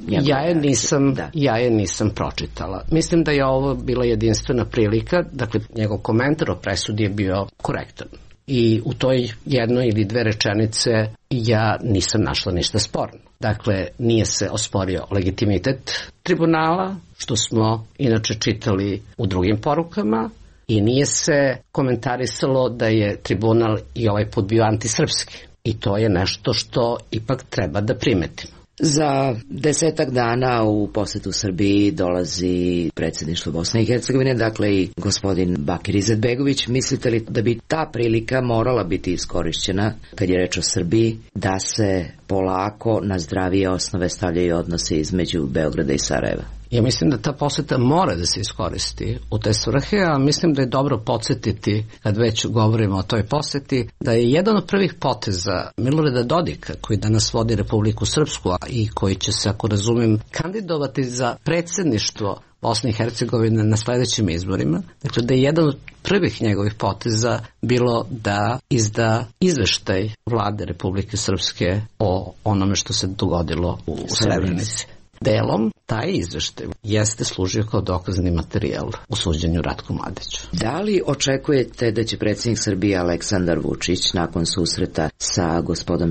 Ja je nisam pročitala. Mislim da je ovo bila jedinstvena prilika, dakle njegov komentar o presudi je bio korektan. I u toj jednoj ili dve rečenice ja nisam našla ništa sporno. Dakle, nije se osporio legitimitet tribunala, što smo inače čitali u drugim porukama, i nije se komentarisalo da je tribunal i ovaj put bio antisrpski. I to je nešto što ipak treba da primetimo. Za 10 dana u posetu Srbiji dolazi predsjedništvo Bosne i Hercegovine, dakle i gospodin Bakir Izetbegović. Mislite li da bi ta prilika morala biti iskorišćena, kad je reč o Srbiji, da se polako na zdravije osnove stavljaju odnose između Beograda i Sarajeva? Ja mislim da ta poseta mora da se iskoristi u te svrhe, a mislim da je dobro podsjetiti, kad već govorimo o toj poseti, da je jedan od prvih poteza Milorada Dodika, koji danas vodi Republiku Srpsku i koji će se, ako razumem, kandidovati za predsjedništvo Bosne i Hercegovine na sledećim izborima. Dakle, da je jedan od prvih njegovih poteza bilo da izda izveštaj vlade Republike Srpske o onome što se dogodilo u Srebrenici. Delom, taj izveštaj jeste služio kao dokazni materijal u suđenju Ratku Mladiću. Da li očekujete da će predsjednik Srbije Aleksandar Vučić nakon susreta sa gospodom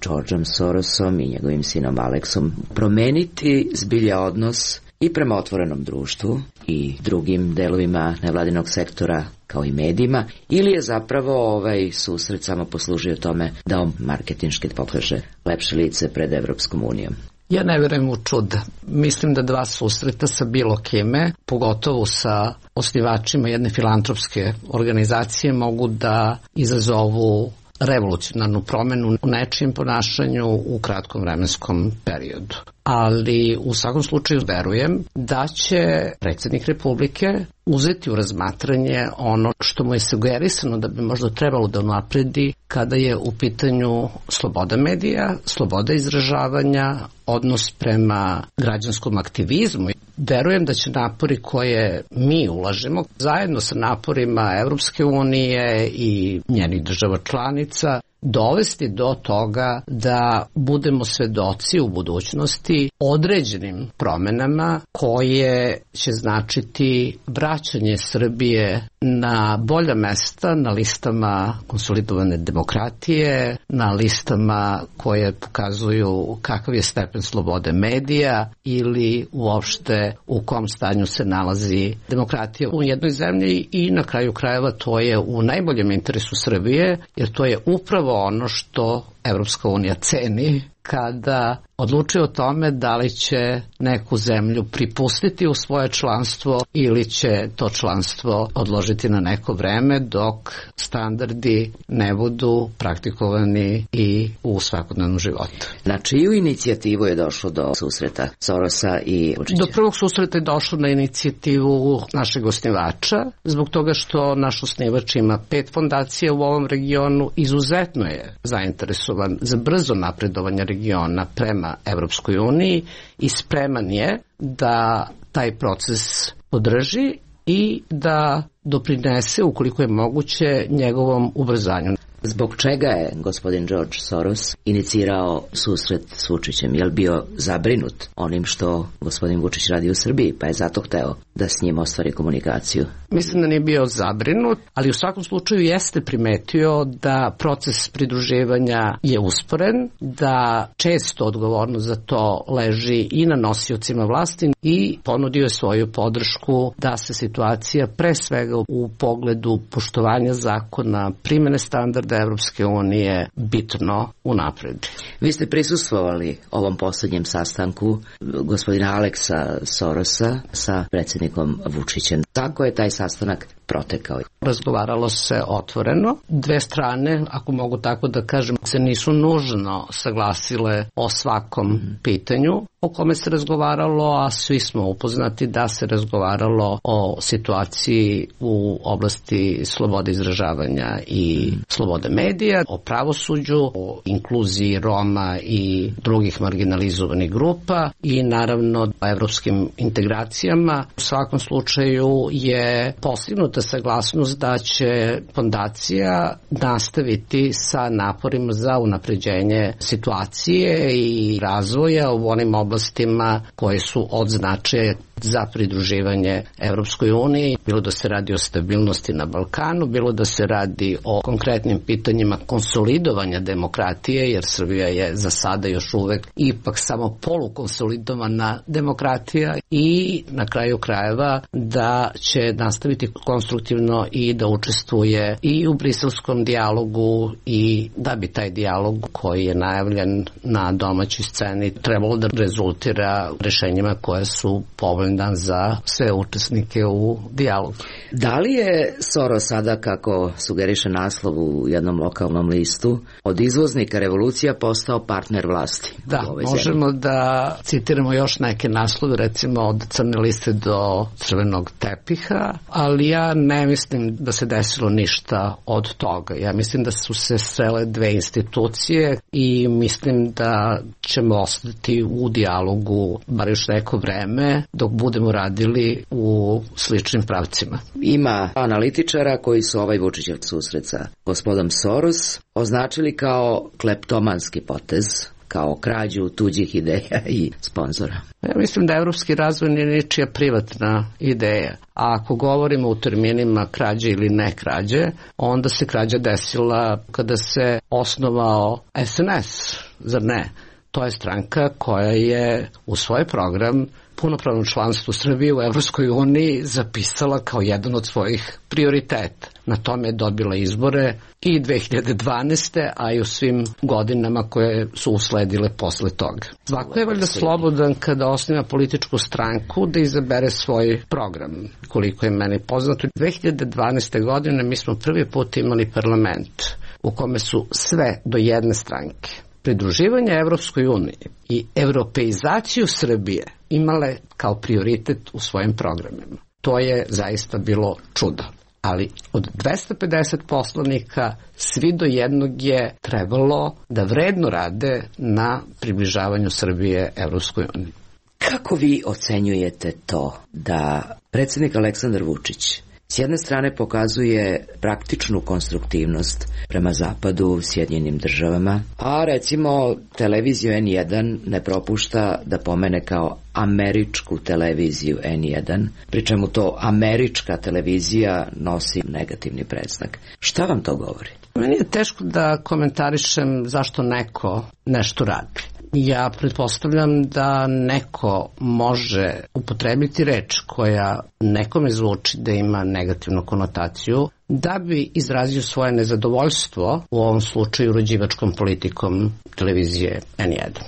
Georgeom Sorosom i njegovim sinom Aleksom promeniti zbilja odnos i prema otvorenom društvu i drugim delovima nevladinog sektora kao i medijima, ili je zapravo ovaj susret samo poslužio tome da on marketinški pokaže lepše lice pred Evropskom unijom? Ja ne vjerujem u čuda. Mislim da dva susreta sa bilo kime, pogotovo sa osnivačima jedne filantropske organizacije, mogu da izazovu revolucionarnu promenu u nečijem ponašanju u kratkom vremenskom periodu. Ali u svakom slučaju verujem da će predsjednik Republike uzeti u razmatranje ono što mu je sugerisano da bi možda trebalo da unapredi kada je u pitanju sloboda medija, sloboda izražavanja, odnos prema građanskom aktivizmu. Verujem da će napori koje mi ulažemo zajedno sa naporima Evropske unije i njenih država članica dovesti do toga da budemo svedoci u budućnosti određenim promenama koje će značiti vraćanje Srbije na bolja mesta na listama konsolidovane demokratije, na listama koje pokazuju kakav je stepen slobode medija ili uopšte u kom stanju se nalazi demokratija u jednoj zemlji, i na kraju krajeva to je u najboljem interesu Srbije, jer to je upravo ono što Evropska unija ceni kada odlučuje o tome da li će neku zemlju pripustiti u svoje članstvo ili će to članstvo odložiti na neko vreme dok standardi ne budu praktikovani i u svakodnevnom životu. Na čiju inicijativu je došlo do susreta Sorosa i Vučića? Do prvog susreta je došlo na inicijativu našeg osnivača, zbog toga što naš osnivač ima 5 fondacija u ovom regionu, izuzetno je zainteresovan za brzo napredovanje regiona prema Evropskoj uniji i spreman je da taj proces podrži i da doprinese, ukoliko je moguće, njegovom ubrzanju. Zbog čega je gospodin George Soros inicirao susret s Vučićem? Je li bio zabrinut onim što gospodin Vučić radi u Srbiji, pa je zato hteo da s njim ostvari komunikaciju? Mislim da nije bio zabrinut, ali u svakom slučaju jeste primetio da proces pridruživanja je usporen, da često odgovornost za to leži i na nosiocima vlasti, i ponudio je svoju podršku da se situacija pre svega u pogledu poštovanja zakona, primene standarda Evropske unije bitno unapredi. Vi ste prisustvovali ovom posljednjem sastanku gospodina Aleksa Sorosa sa predsjednikom Vučićem. Tako je taj sastanak protekao. Razgovaralo se otvoreno. Dve strane, ako mogu tako da kažem, se nisu nužno saglasile o svakom pitanju o kome se razgovaralo, a svi smo upoznati da se razgovaralo o situaciji u oblasti slobode izražavanja i slobode medija, o pravosuđu, o inkluziji Roma i drugih marginalizovanih grupa i naravno o evropskim integracijama. U svakom slučaju je postignuta saglasnost da će fondacija nastaviti sa naporima za unapređenje situacije i razvoja u onim oblastima koje su od značaja za pridruživanje Evropskoj uniji, bilo da se radi o stabilnosti na Balkanu, bilo da se radi o konkretnim pitanjima konsolidovanja demokratije, jer Srbija je za sada još uvek ipak samo polukonsolidovana demokratija, i na kraju krajeva da će nastaviti konstruktivno i da učestvuje i u briselskom dijalogu, i da bi taj dijalog koji je najavljen na domaćoj sceni trebalo da rezultira rešenjima koje su povoljna za sve učesnike u dijalogu. Da li je Soros sada, kako sugeriše naslov u jednom lokalnom listu, od izvoznika revolucija postao partner vlasti? Da, možemo da citiramo još neke naslove, recimo od crne liste do crvenog tepiha, ali ja ne mislim da se desilo ništa od toga. Ja mislim da su se srele dve institucije i mislim da ćemo ostati u dijalogu bar još neko vreme dok budemo radili u sličnim pravcima. Ima analitičara koji su ovaj Vučićev susret sa gospodom Soros označili kao kleptomanski potez, kao krađu tuđih ideja i sponzora. Ja mislim da evropski razvoj nije ničija privatna ideja. A ako govorimo u terminima krađe ili ne krađe, onda se krađa desila kada se osnovao SNS, zar ne? To je stranka koja je u svoj program punopravno članstvo Srbije u Evropskoj uniji zapisala kao jedan od svojih prioriteta. Na tome je dobila izbore i 2012. a i u svim godinama koje su usledile posle toga. Svako je valjda slobodan kada osniva političku stranku da izabere svoj program. Koliko je meni poznato, 2012. godine mi smo prvi put imali parlament u kome su sve do jedne stranke pridruživanje Evropskoj uniji i europeizaciju Srbije imale kao prioritet u svojim programima. To je zaista bilo čudo. Ali od 250 poslanika svi do jednog je trebalo da vredno rade na približavanju Srbije Evropskoj uniji. Kako vi ocenjujete to da predsjednik Aleksandar Vučić s jedne strane pokazuje praktičnu konstruktivnost prema Zapadu, Sjedinjenim državama, a recimo televiziju N1 ne propušta da pomene kao američku televiziju N1, pri čemu to američka televizija nosi negativni predznak. Šta vam to govori? Meni je teško da komentarišem zašto neko nešto radi. Ja pretpostavljam da neko može upotrebiti reč koja nekome zvuči da ima negativnu konotaciju da bi izrazio svoje nezadovoljstvo, u ovom slučaju uređivačkom politikom televizije N1.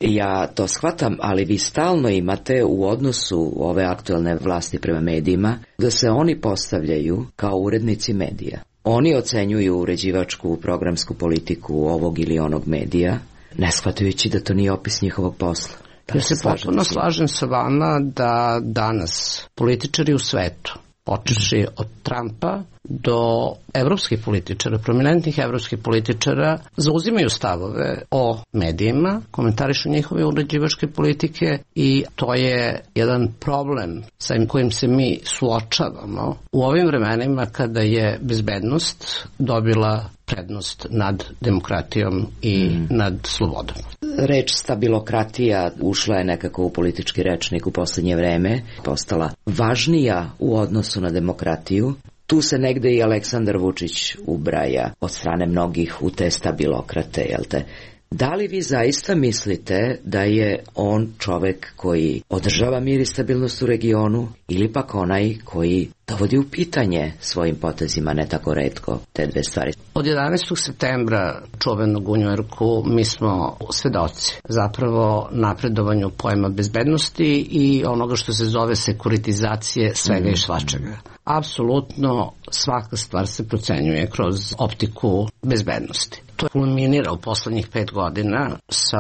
Ja to shvatam, ali vi stalno imate u odnosu ove aktualne vlasti prema medijima da se oni postavljaju kao urednici medija. Oni ocenjuju uređivačku programsku politiku ovog ili onog medija, ne shvatajući da to nije opis njihovog posla. Ja se potpuno slažem sa vama da danas političari u svetu, počeši od Trumpa do evropskih političara, prominentnih evropskih političara, zauzimaju stavove o medijima, komentarišu njihove uređivačke politike i to je jedan problem sa kojim se mi suočavamo u ovim vremenima kada je bezbednost dobila prednost nad demokratijom i nad slobodom. Reč stabilokratija ušla je nekako u politički rečnik u poslednje vreme, postala važnija u odnosu na demokratiju. Tu se negde i Aleksandar Vučić ubraja od strane mnogih u te stabilokrate, jel te? Da li vi zaista mislite da je on čovek koji održava mir i stabilnost u regionu ili pak onaj koji dovodi u pitanje svojim potezima ne tako retko te dve stvari? Od 11. septembra čuvenog u Njujorku mi smo svedoci zapravo napredovanju pojma bezbednosti i onoga što se zove sekuritizacije svega i svačega. Apsolutno svaka stvar se procenjuje kroz optiku bezbednosti. To kulminira u poslednjih 5 godina sa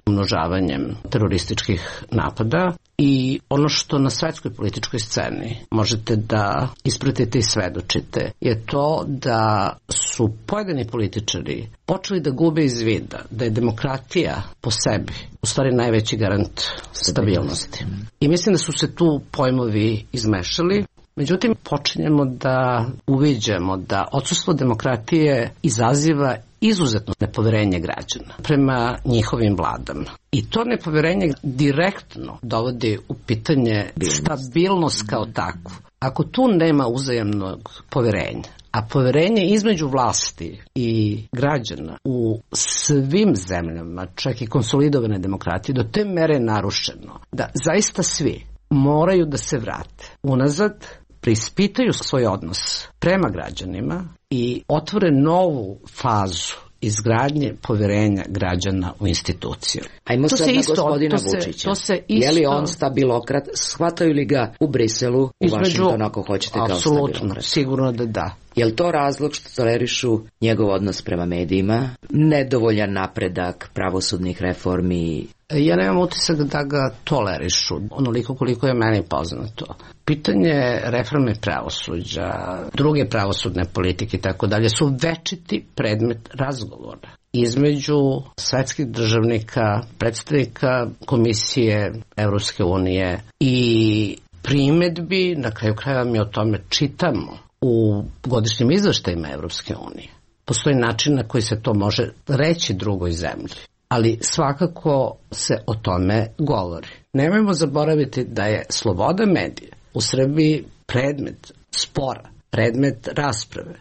umnožavanjem terorističkih napada i ono što na svetskoj političkoj sceni možete da ispratite i svedočite je to da su pojedini političari počeli da gube iz vida da je demokratija po sebi u stvari najveći garant stabilnosti. I mislim da su se tu pojmovi izmešali. Međutim, počinjemo da uviđamo da odsustvo demokratije izaziva izuzetno nepoverenje građana prema njihovim vladama. I to nepoverenje direktno dovodi u pitanje stabilnost kao takvu. Ako tu nema uzajamnog poverenja, a poverenje između vlasti i građana u svim zemljama, čak i konsolidovane demokratije, do te mere narušeno da zaista svi moraju da se vrate unazad, preispitaju svoj odnos prema građanima i otvore novu fazu izgradnje poverenja građana u instituciju. Ajmo sad na gospodina Vučića. Je li on stabilokrat? Shvataju li ga u Briselu, u Vašingtonu, ako hoćete, kao stabilokrat? Apsolutno, sigurno da da. Je li to razlog što tolerišu njegov odnos prema medijima, nedovoljan napredak pravosudnih reformi? Ja nemam utisak da ga tolerišu, onoliko koliko je meni poznato. Pitanje reforme pravosuđa, druge pravosudne politike i tako dalje su večiti predmet razgovora između svetskih državnika, predstavnika Komisije Evropske unije i primedbi, na kraju krajeva mi o tome čitamo u godišnjim izveštajima Evropske unije. Postoji način na koji se to može reći drugoj zemlji, ali svakako se o tome govori. Nemojmo zaboraviti da je sloboda medija u Srbiji predmet spora, predmet rasprave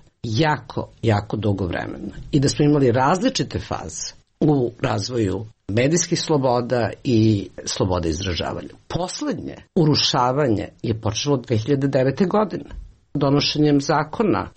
jako dugo vremena i da smo imali različite faze u razvoju medijskih sloboda i slobode izražavanja. Poslednje urušavanje je počelo 2009. godine. Donošenjem zakona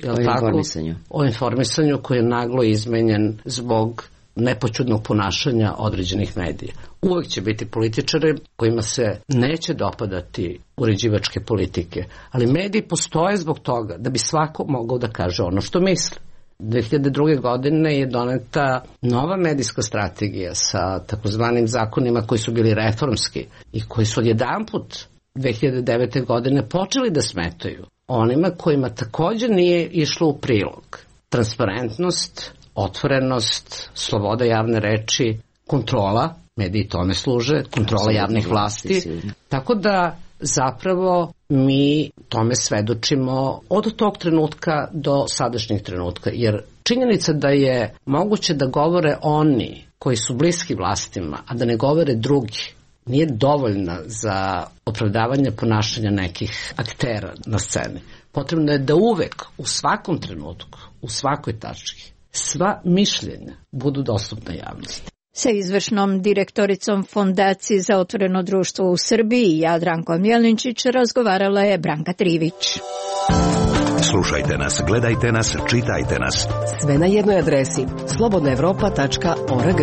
o informisanju koji je naglo izmenjen zbog nepoćudnog ponašanja određenih medija. Uvek će biti političari kojima se neće dopadati uređivačke politike, ali mediji postoje zbog toga da bi svako mogao da kaže ono što misli. 2002. godine je doneta nova medijska strategija sa takozvanim zakonima koji su bili reformski i koji su odjedanput 2009. godine počeli da smetaju onima kojima također nije išlo u prilog. Transparentnost, otvorenost, sloboda javne reči, kontrola, mediji tome služe, kontrola javnih vlasti. Tako da zapravo mi tome svedočimo od tog trenutka do sadašnjeg trenutka. Jer činjenica da je moguće da govore oni koji su bliski vlastima, a da ne govore drugi, nije dovoljna za opravdavanje ponašanja nekih aktera na sceni. Potrebno je da uvek, u svakom trenutku, u svakoj tački, sva mišljenja budu dostupna javnosti. Sa izvršnom direktoricom Fondacije za otvoreno društvo u Srbiji, Jadrankom Jelinčić, razgovarala je Branka Trivić. Slušajte nas, gledajte nas, čitajte nas. Sve na jednoj adresi slobodnaevropa.org.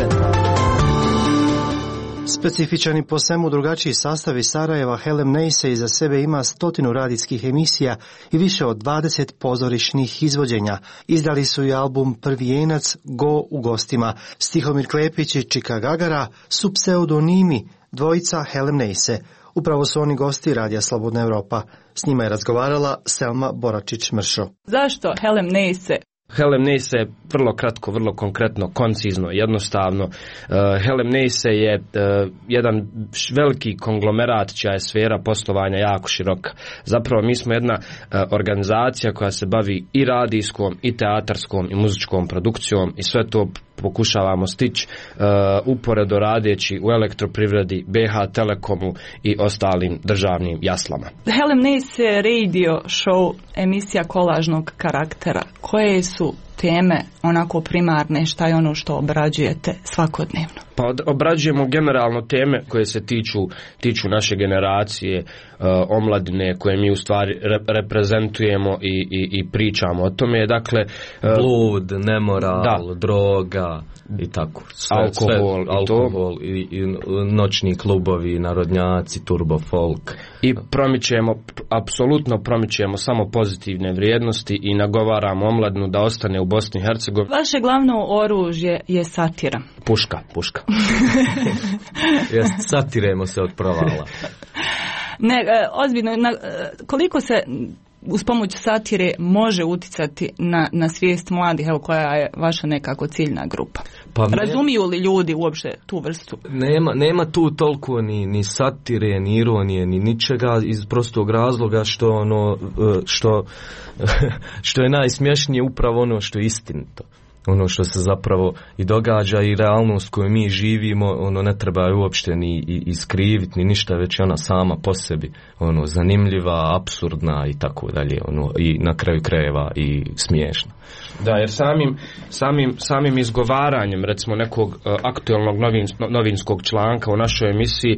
Specifičan i po svemu drugačiji sastav iz Sarajeva, Helen Neise iza sebe ima 100 radijskih emisija i više od 20 pozorišnih izvođenja. Izdali su i album Prvi jenac, Go u gostima. Stihomir Klepić i Čika Gagara su pseudonimi dvojica Helen Neise. Upravo su oni gosti Radija Slobodna Evropa. S njima je razgovarala Selma Boračić-Mršo. Zašto Helen Neise? Helen Neise je vrlo kratko, vrlo konkretno, koncizno, jednostavno. Helen Neise je jedan veliki konglomerat čija je sfera poslovanja jako široka. Zapravo mi smo jedna organizacija koja se bavi i radijskom, i teatarskom, i muzičkom produkcijom i sve to pokušavamo stići uporedo radeći u elektroprivredi, BH Telekomu i ostalim državnim jaslama. Helen Neise radio show, emisija kolažnog karaktera. Koje su teme onako primarne, šta je ono što obrađujete svakodnevno? Pa obrađujemo generalno teme koje se tiču naše generacije, omladine koje mi u stvari reprezentujemo i pričamo o tome. Dakle, blud, nemoral, droga i tako. Alkohol i noćni klubovi, narodnjaci, turbo folk. I apsolutno promičemo samo pozitivne vrijednosti i nagovaramo omladinu da ostane u Bosni i Hercegovini. Vaše glavno oružje je satira. Puška. Satiremo se od provala. Ne, ozbiljno, koliko se uz pomoć satire može uticati na svijest mladih, evo koja je vaša nekako ciljna grupa? Pa razumiju li ljudi uopće tu vrstu? Nema tu toliko ni satire, ni ironije, ni ničega, iz prostog razloga što je najsmješnije upravo ono što je istinito. Ono što se zapravo i događa i realnost koju mi živimo, ono ne treba uopšte ni iskriviti ni ništa, već je ona sama po sebi zanimljiva, apsurdna i tako dalje, i na kraju krajeva i smiješna. Da, jer samim izgovaranjem recimo nekog aktualnog novinskog članka u našoj emisiji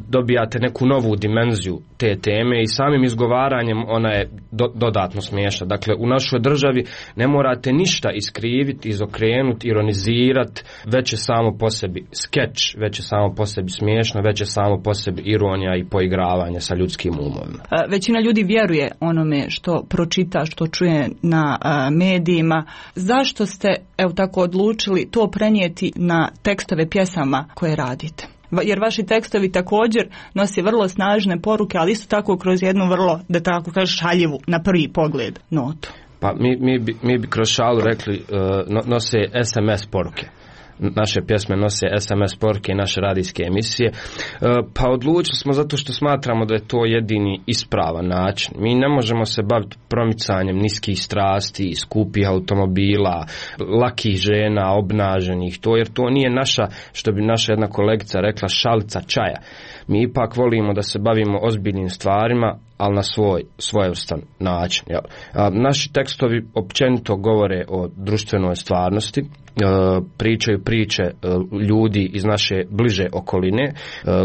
dobijate neku novu dimenziju te teme i samim izgovaranjem ona je dodatno smiješna. Dakle, u našoj državi ne morate ništa iskriviti, izokrenuti, ironizirati, već je samo po sebi skeč, već je samo po sebi smiješno, već je samo po sebi ironija i poigravanje sa ljudskim umovima. Većina ljudi vjeruje onome što pročita, što čuje na medijima. Zašto ste tako odlučili to prenijeti na tekstove pjesama koje radite? Jer vaši tekstovi također nose vrlo snažne poruke, ali isto tako kroz jednu vrlo, da tako kažem, šaljivu na prvi pogled notu. Pa mi bi kroz šalu rekli nose SMS poruke. Naše pjesme nose SMS poruke i naše radijske emisije. Pa odlučili smo zato što smatramo da je to jedini ispravan način. Mi ne možemo se baviti promicanjem niskih strasti, skupih automobila, lakih žena, obnaženih, jer to nije naša, što bi naša jedna kolegica rekla, šalica čaja. Mi ipak volimo da se bavimo ozbiljnim stvarima, ali na svojevrstan način. Naši tekstovi općenito govore o društvenoj stvarnosti, pričaju priče ljudi iz naše bliže okoline,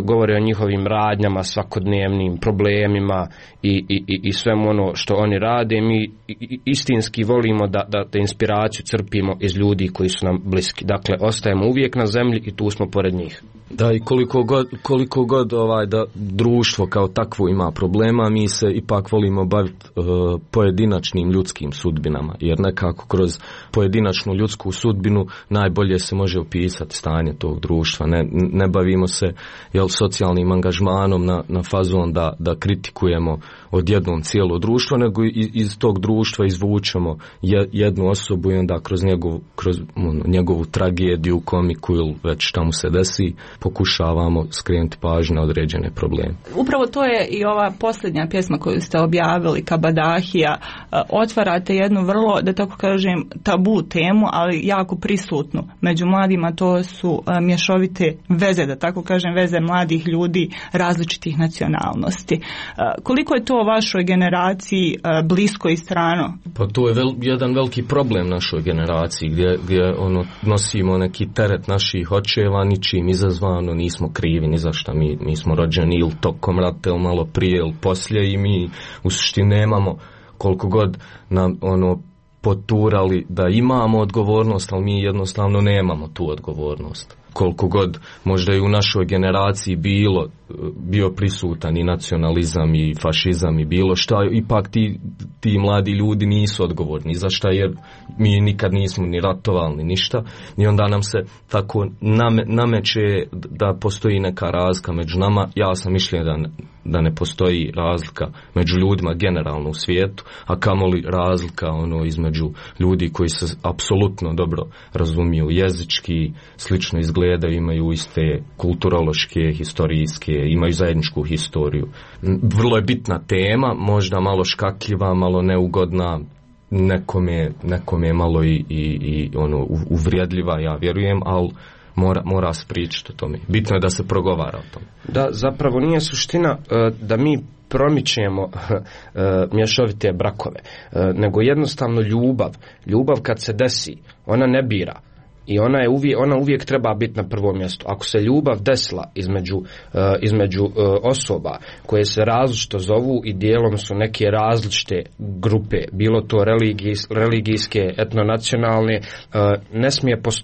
govore o njihovim radnjama, svakodnevnim problemima i svemu ono što oni rade. Mi istinski volimo da inspiraciju crpimo iz ljudi koji su nam bliski. Dakle, ostajemo uvijek na zemlji i tu smo pored njih. Da, i koliko god da društvo kao takvo ima problema, mi se ipak volimo baviti pojedinačnim ljudskim sudbinama, jer nekako kroz pojedinačnu ljudsku sudbinu najbolje se može opisati stanje tog društva. Ne bavimo se socijalnim angažmanom na fazon da kritikujemo odjednom cijelo društvo, nego iz tog društva izvučemo jednu osobu i onda kroz njegovu tragediju, komiku ili već šta mu se desi, pokušavamo skrenuti pažnju na određene probleme. Upravo to je i ova posljednja pjesma koju ste objavili, Kabadahija. Otvarate jednu vrlo, da tako kažem, tabu temu, ali jako prisutnu među mladima. To su mješovite veze, da tako kažem, veze mladih ljudi različitih nacionalnosti. Koliko je to vašoj generaciji blisko i strano? Pa to je jedan veliki problem našoj generaciji, gdje nosimo neki teret naših očeva, ničim izazvano, nismo krivi ni za šta. Mi smo rođeni ili tokom rata, ili malo prije, ili poslije, i mi u suštini nemamo, koliko god nam poturali da imamo odgovornost, ali mi jednostavno nemamo tu odgovornost. Koliko god možda i u našoj generaciji bio prisutan i nacionalizam i fašizam i bilo šta, ipak ti mladi ljudi nisu odgovorni za šta, jer mi nikad nismo ni ratovali ni ništa, i onda nam se tako nameće da postoji neka razlika među nama. Ja sam mišljenja da ne postoji razlika među ljudima generalno u svijetu, a kamoli razlika između ljudi koji se apsolutno dobro razumiju jezički, slično izgledaju, imaju iste kulturološke, historijske, imaju zajedničku historiju. Vrlo je bitna tema, možda malo škakljiva, malo neugodna, nekome malo i uvrijedljiva, ja vjerujem, ali mora se pričati o tome. Bitno je da se progovara o tome. Da, zapravo nije suština da mi promičemo mješovite brakove, nego jednostavno ljubav kad se desi, ona ne bira. I ona uvijek treba biti na prvom mjestu. Ako se ljubav desila između osoba koje se različito zovu i dijelom su neke različite grupe, bilo to religijske, etnonacionalne,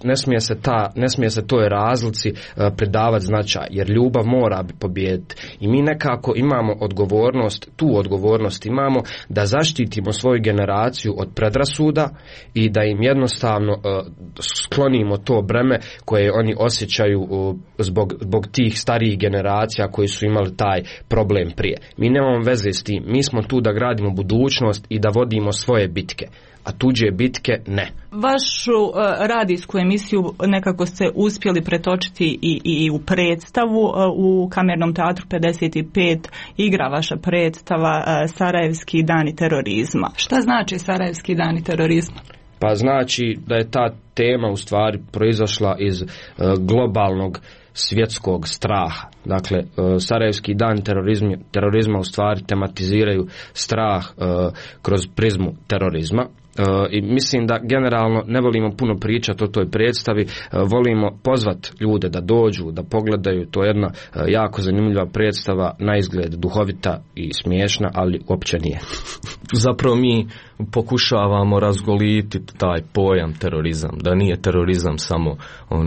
ne smije se toj razlici pridavati značaj, jer ljubav mora pobijediti. I mi nekako imamo tu odgovornost imamo da zaštitimo svoju generaciju od predrasuda i da im jednostavno sklonimo uklonimo to breme koje oni osjećaju zbog tih starijih generacija koji su imali taj problem prije. Mi nemamo veze s tim, mi smo tu da gradimo budućnost i da vodimo svoje bitke, a tuđe bitke ne. Vašu radijsku emisiju nekako ste uspjeli pretočiti i u predstavu. U Kamernom teatru 55 igra vaša predstava Sarajevski dani terorizma. Šta znači Sarajevski dani terorizma? Pa znači da je ta tema u stvari proizašla iz globalnog svjetskog straha. Dakle, Sarajevski dan terorizma u stvari tematiziraju strah kroz prizmu terorizma. I mislim da generalno ne volimo puno pričati o toj predstavi, volimo pozvat ljude da dođu, da pogledaju. To je jedna jako zanimljiva predstava, na izgled duhovita i smiješna, ali uopće nije. Zapravo mi pokušavamo razgolititi taj pojam terorizam, da nije terorizam samo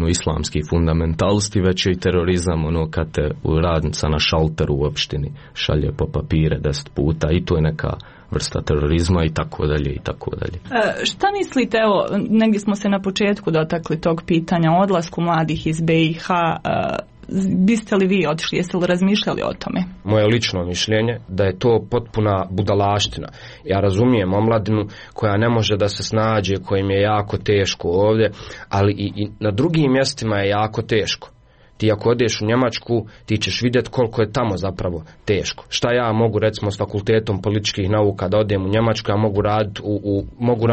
islamski fundamentalisti, već je i terorizam kad te radnica na šalteru u opštini šalje po papire 10 puta, i to je neka vrsta terorizma, i tako dalje i tako dalje. Šta mislite, evo, negdje smo se na početku dotakli tog pitanja o odlasku mladih iz BiH, biste li vi otišli, jeste li razmišljali o tome? Moje lično mišljenje da je to potpuna budalaština. Ja razumijem omladinu koja ne može da se snađe, kojim je jako teško ovdje, ali i na drugim mjestima je jako teško. Ti ako odeš u Njemačku, ti ćeš vidjeti koliko je tamo zapravo teško. Šta ja mogu, recimo, s fakultetom političkih nauka da odem u Njemačku, ja mogu raditi mogu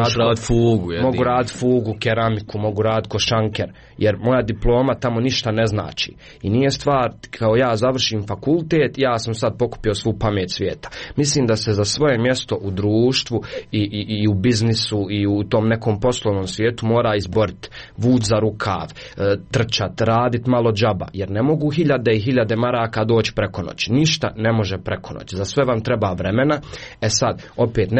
raditi fugu, keramiku, mogu raditi košanker, jer moja diploma tamo ništa ne znači. I nije stvar kao ja završim fakultet, ja sam sad pokupio svu pamet svijeta. Mislim da se za svoje mjesto u društvu i u biznisu i u tom nekom poslovnom svijetu mora izboriti, vući za rukav, trčati, raditi malo džaba, jer ne mogu hiljade i hiljade maraka doći preko noći. Ništa ne može preko noći. Za sve vam treba vremena. Sad, opet,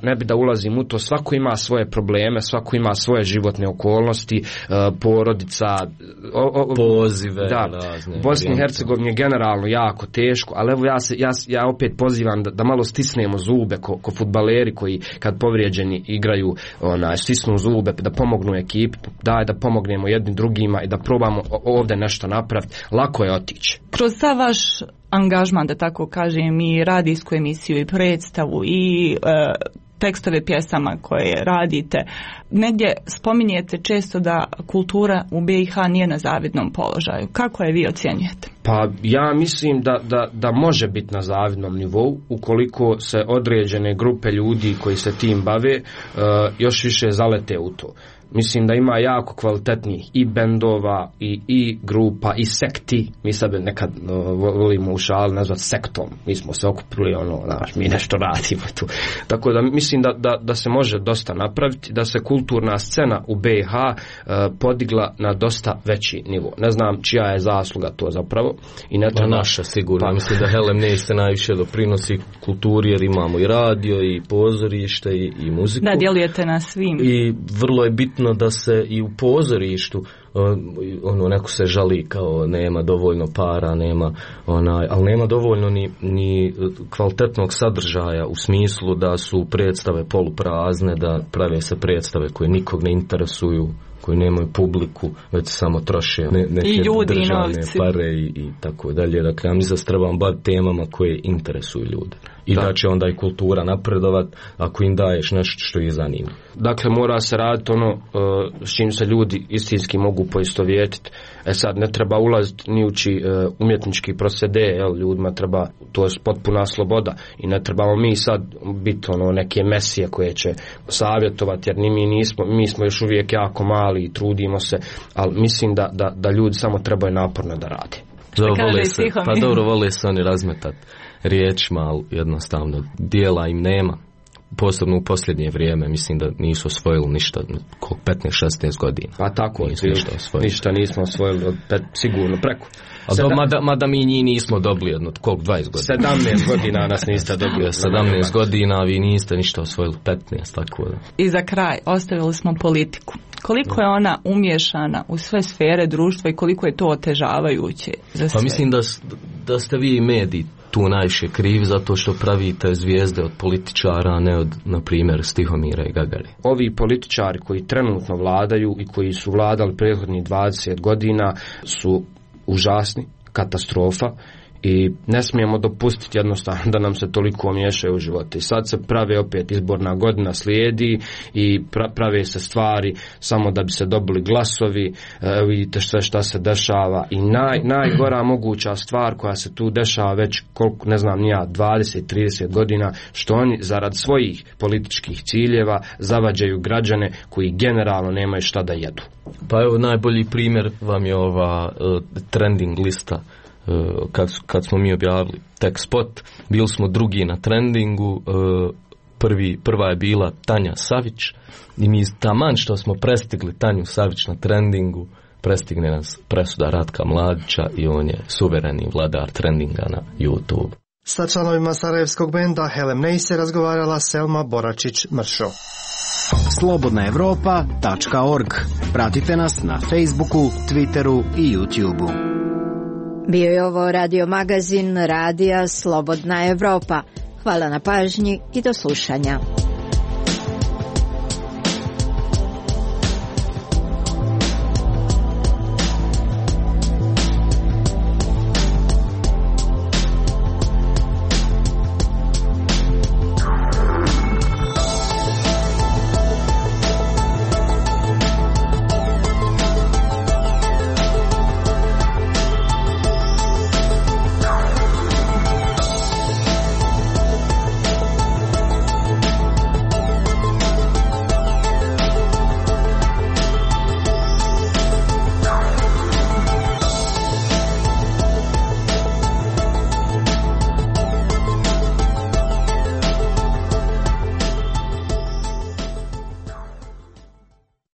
ne bi da ulazim u to. Svako ima svoje probleme, svako ima svoje životne okolnosti, porodica, pozive. Da, Bosni i Hercegovini je generalno jako teško, ali evo ja opet pozivam da malo stisnemo zube ko fudbaleri koji kad povrijeđeni igraju, stisnu zube, da pomognu ekipi, da pomognemo jednim drugima i da probamo ovdje nešto napraviti. Lako je otići. Kroz ta vaš angažman, da tako kažem, i radijsku emisiju i predstavu i tekstove pjesama koje radite, negdje spominjete često da kultura u BiH nije na zavidnom položaju. Kako je vi ocjenjujete? Pa ja mislim da može biti na zavidnom nivou ukoliko se određene grupe ljudi koji se tim bave još više zalete u to. Mislim da ima jako kvalitetnih i bendova i grupa i sekti. Mi sad nekad volimo u šali nazvati sektom. Mi smo se okupili, mi nešto radimo tu. Tako da mislim da se može dosta napraviti, da se kulturna scena u BiH podigla na dosta veći nivo. Ne znam čija je zasluga to zapravo. I ne treba... Naša sigurno. Pa. Mislim da Hellem Neiste najviše doprinosi kulturi, jer imamo i radio i pozorište i muziku. Da, djelujete na svim. I vrlo je bitno da se i u pozorištu neko se žali kao nema dovoljno para, ali nema dovoljno ni kvalitetnog sadržaja, u smislu da su predstave poluprazne, da prave se predstave koje nikog ne interesuju, koji nemaju publiku, već samo troše neke državne pare i tako dalje. Dakle, ja mislim da se trebamo baviti temama koje interesuju ljude. I da će onda i kultura napredovat ako im daješ nešto što ih zanima. Dakle, mora se raditi s čim se ljudi istinski mogu poistovjetiti. Sad ne treba ulaziti ni uči umjetnički procede, ljudima treba, to je potpuna sloboda i ne trebamo mi sad biti neke mesije koje će savjetovati, jer mi smo još uvijek jako mali i trudimo se, ali mislim da ljudi samo trebaju naporno da rade. Vole se oni razmetati riječima, ali jednostavno dijela im nema. Posebno u posljednje vrijeme, mislim da nisu osvojili ništa, 15-16 godina. Pa tako, ništa nismo osvojili, sigurno preko. Mada mi njih nismo dobili 20 godina. 17 godina nas niste dobili. 17 godina, vi niste ništa osvojili, 15, tako da. I za kraj, ostavili smo politiku. Koliko je ona umješana u sve sfere društva i koliko je to otežavajuće za sve? Pa mislim da ste vi mediji tu najviše krivi zato što pravite zvijezde od političara, a ne od, na primjer, Stihomira i Gagare. Ovi političari koji trenutno vladaju i koji su vladali prethodnih 20 godina su užasni, katastrofa. I ne smijemo dopustiti jednostavno da nam se toliko miješaju u živote. I sad se prave opet izborna godina slijedi i prave se stvari samo da bi se dobili glasovi. Vidite sve šta se dešava i najgora moguća stvar koja se tu dešava već koliko, ne znam ni ja, 20-30 godina, što oni zarad svojih političkih ciljeva zavađaju građane koji generalno nemaju šta da jedu. Pa evo najbolji primjer vam je ova trending lista. Kad smo mi objavili tek spot, bili smo drugi na trendingu, prva je bila Tanja Savić i mi taman što smo prestigli Tanju Savić na trendingu, prestigne nas presuda Ratka Mladića i on je suvereni vladar trendinga na YouTube. Sa članovima sarajevskog benda Helem Neise razgovarala Selma Boračić-Mršo. Slobodnaevropa.org. Pratite nas na Facebooku, Twitteru i YouTubeu. Bio je ovo radio magazin Radija Slobodna Evropa. Hvala na pažnji i do slušanja.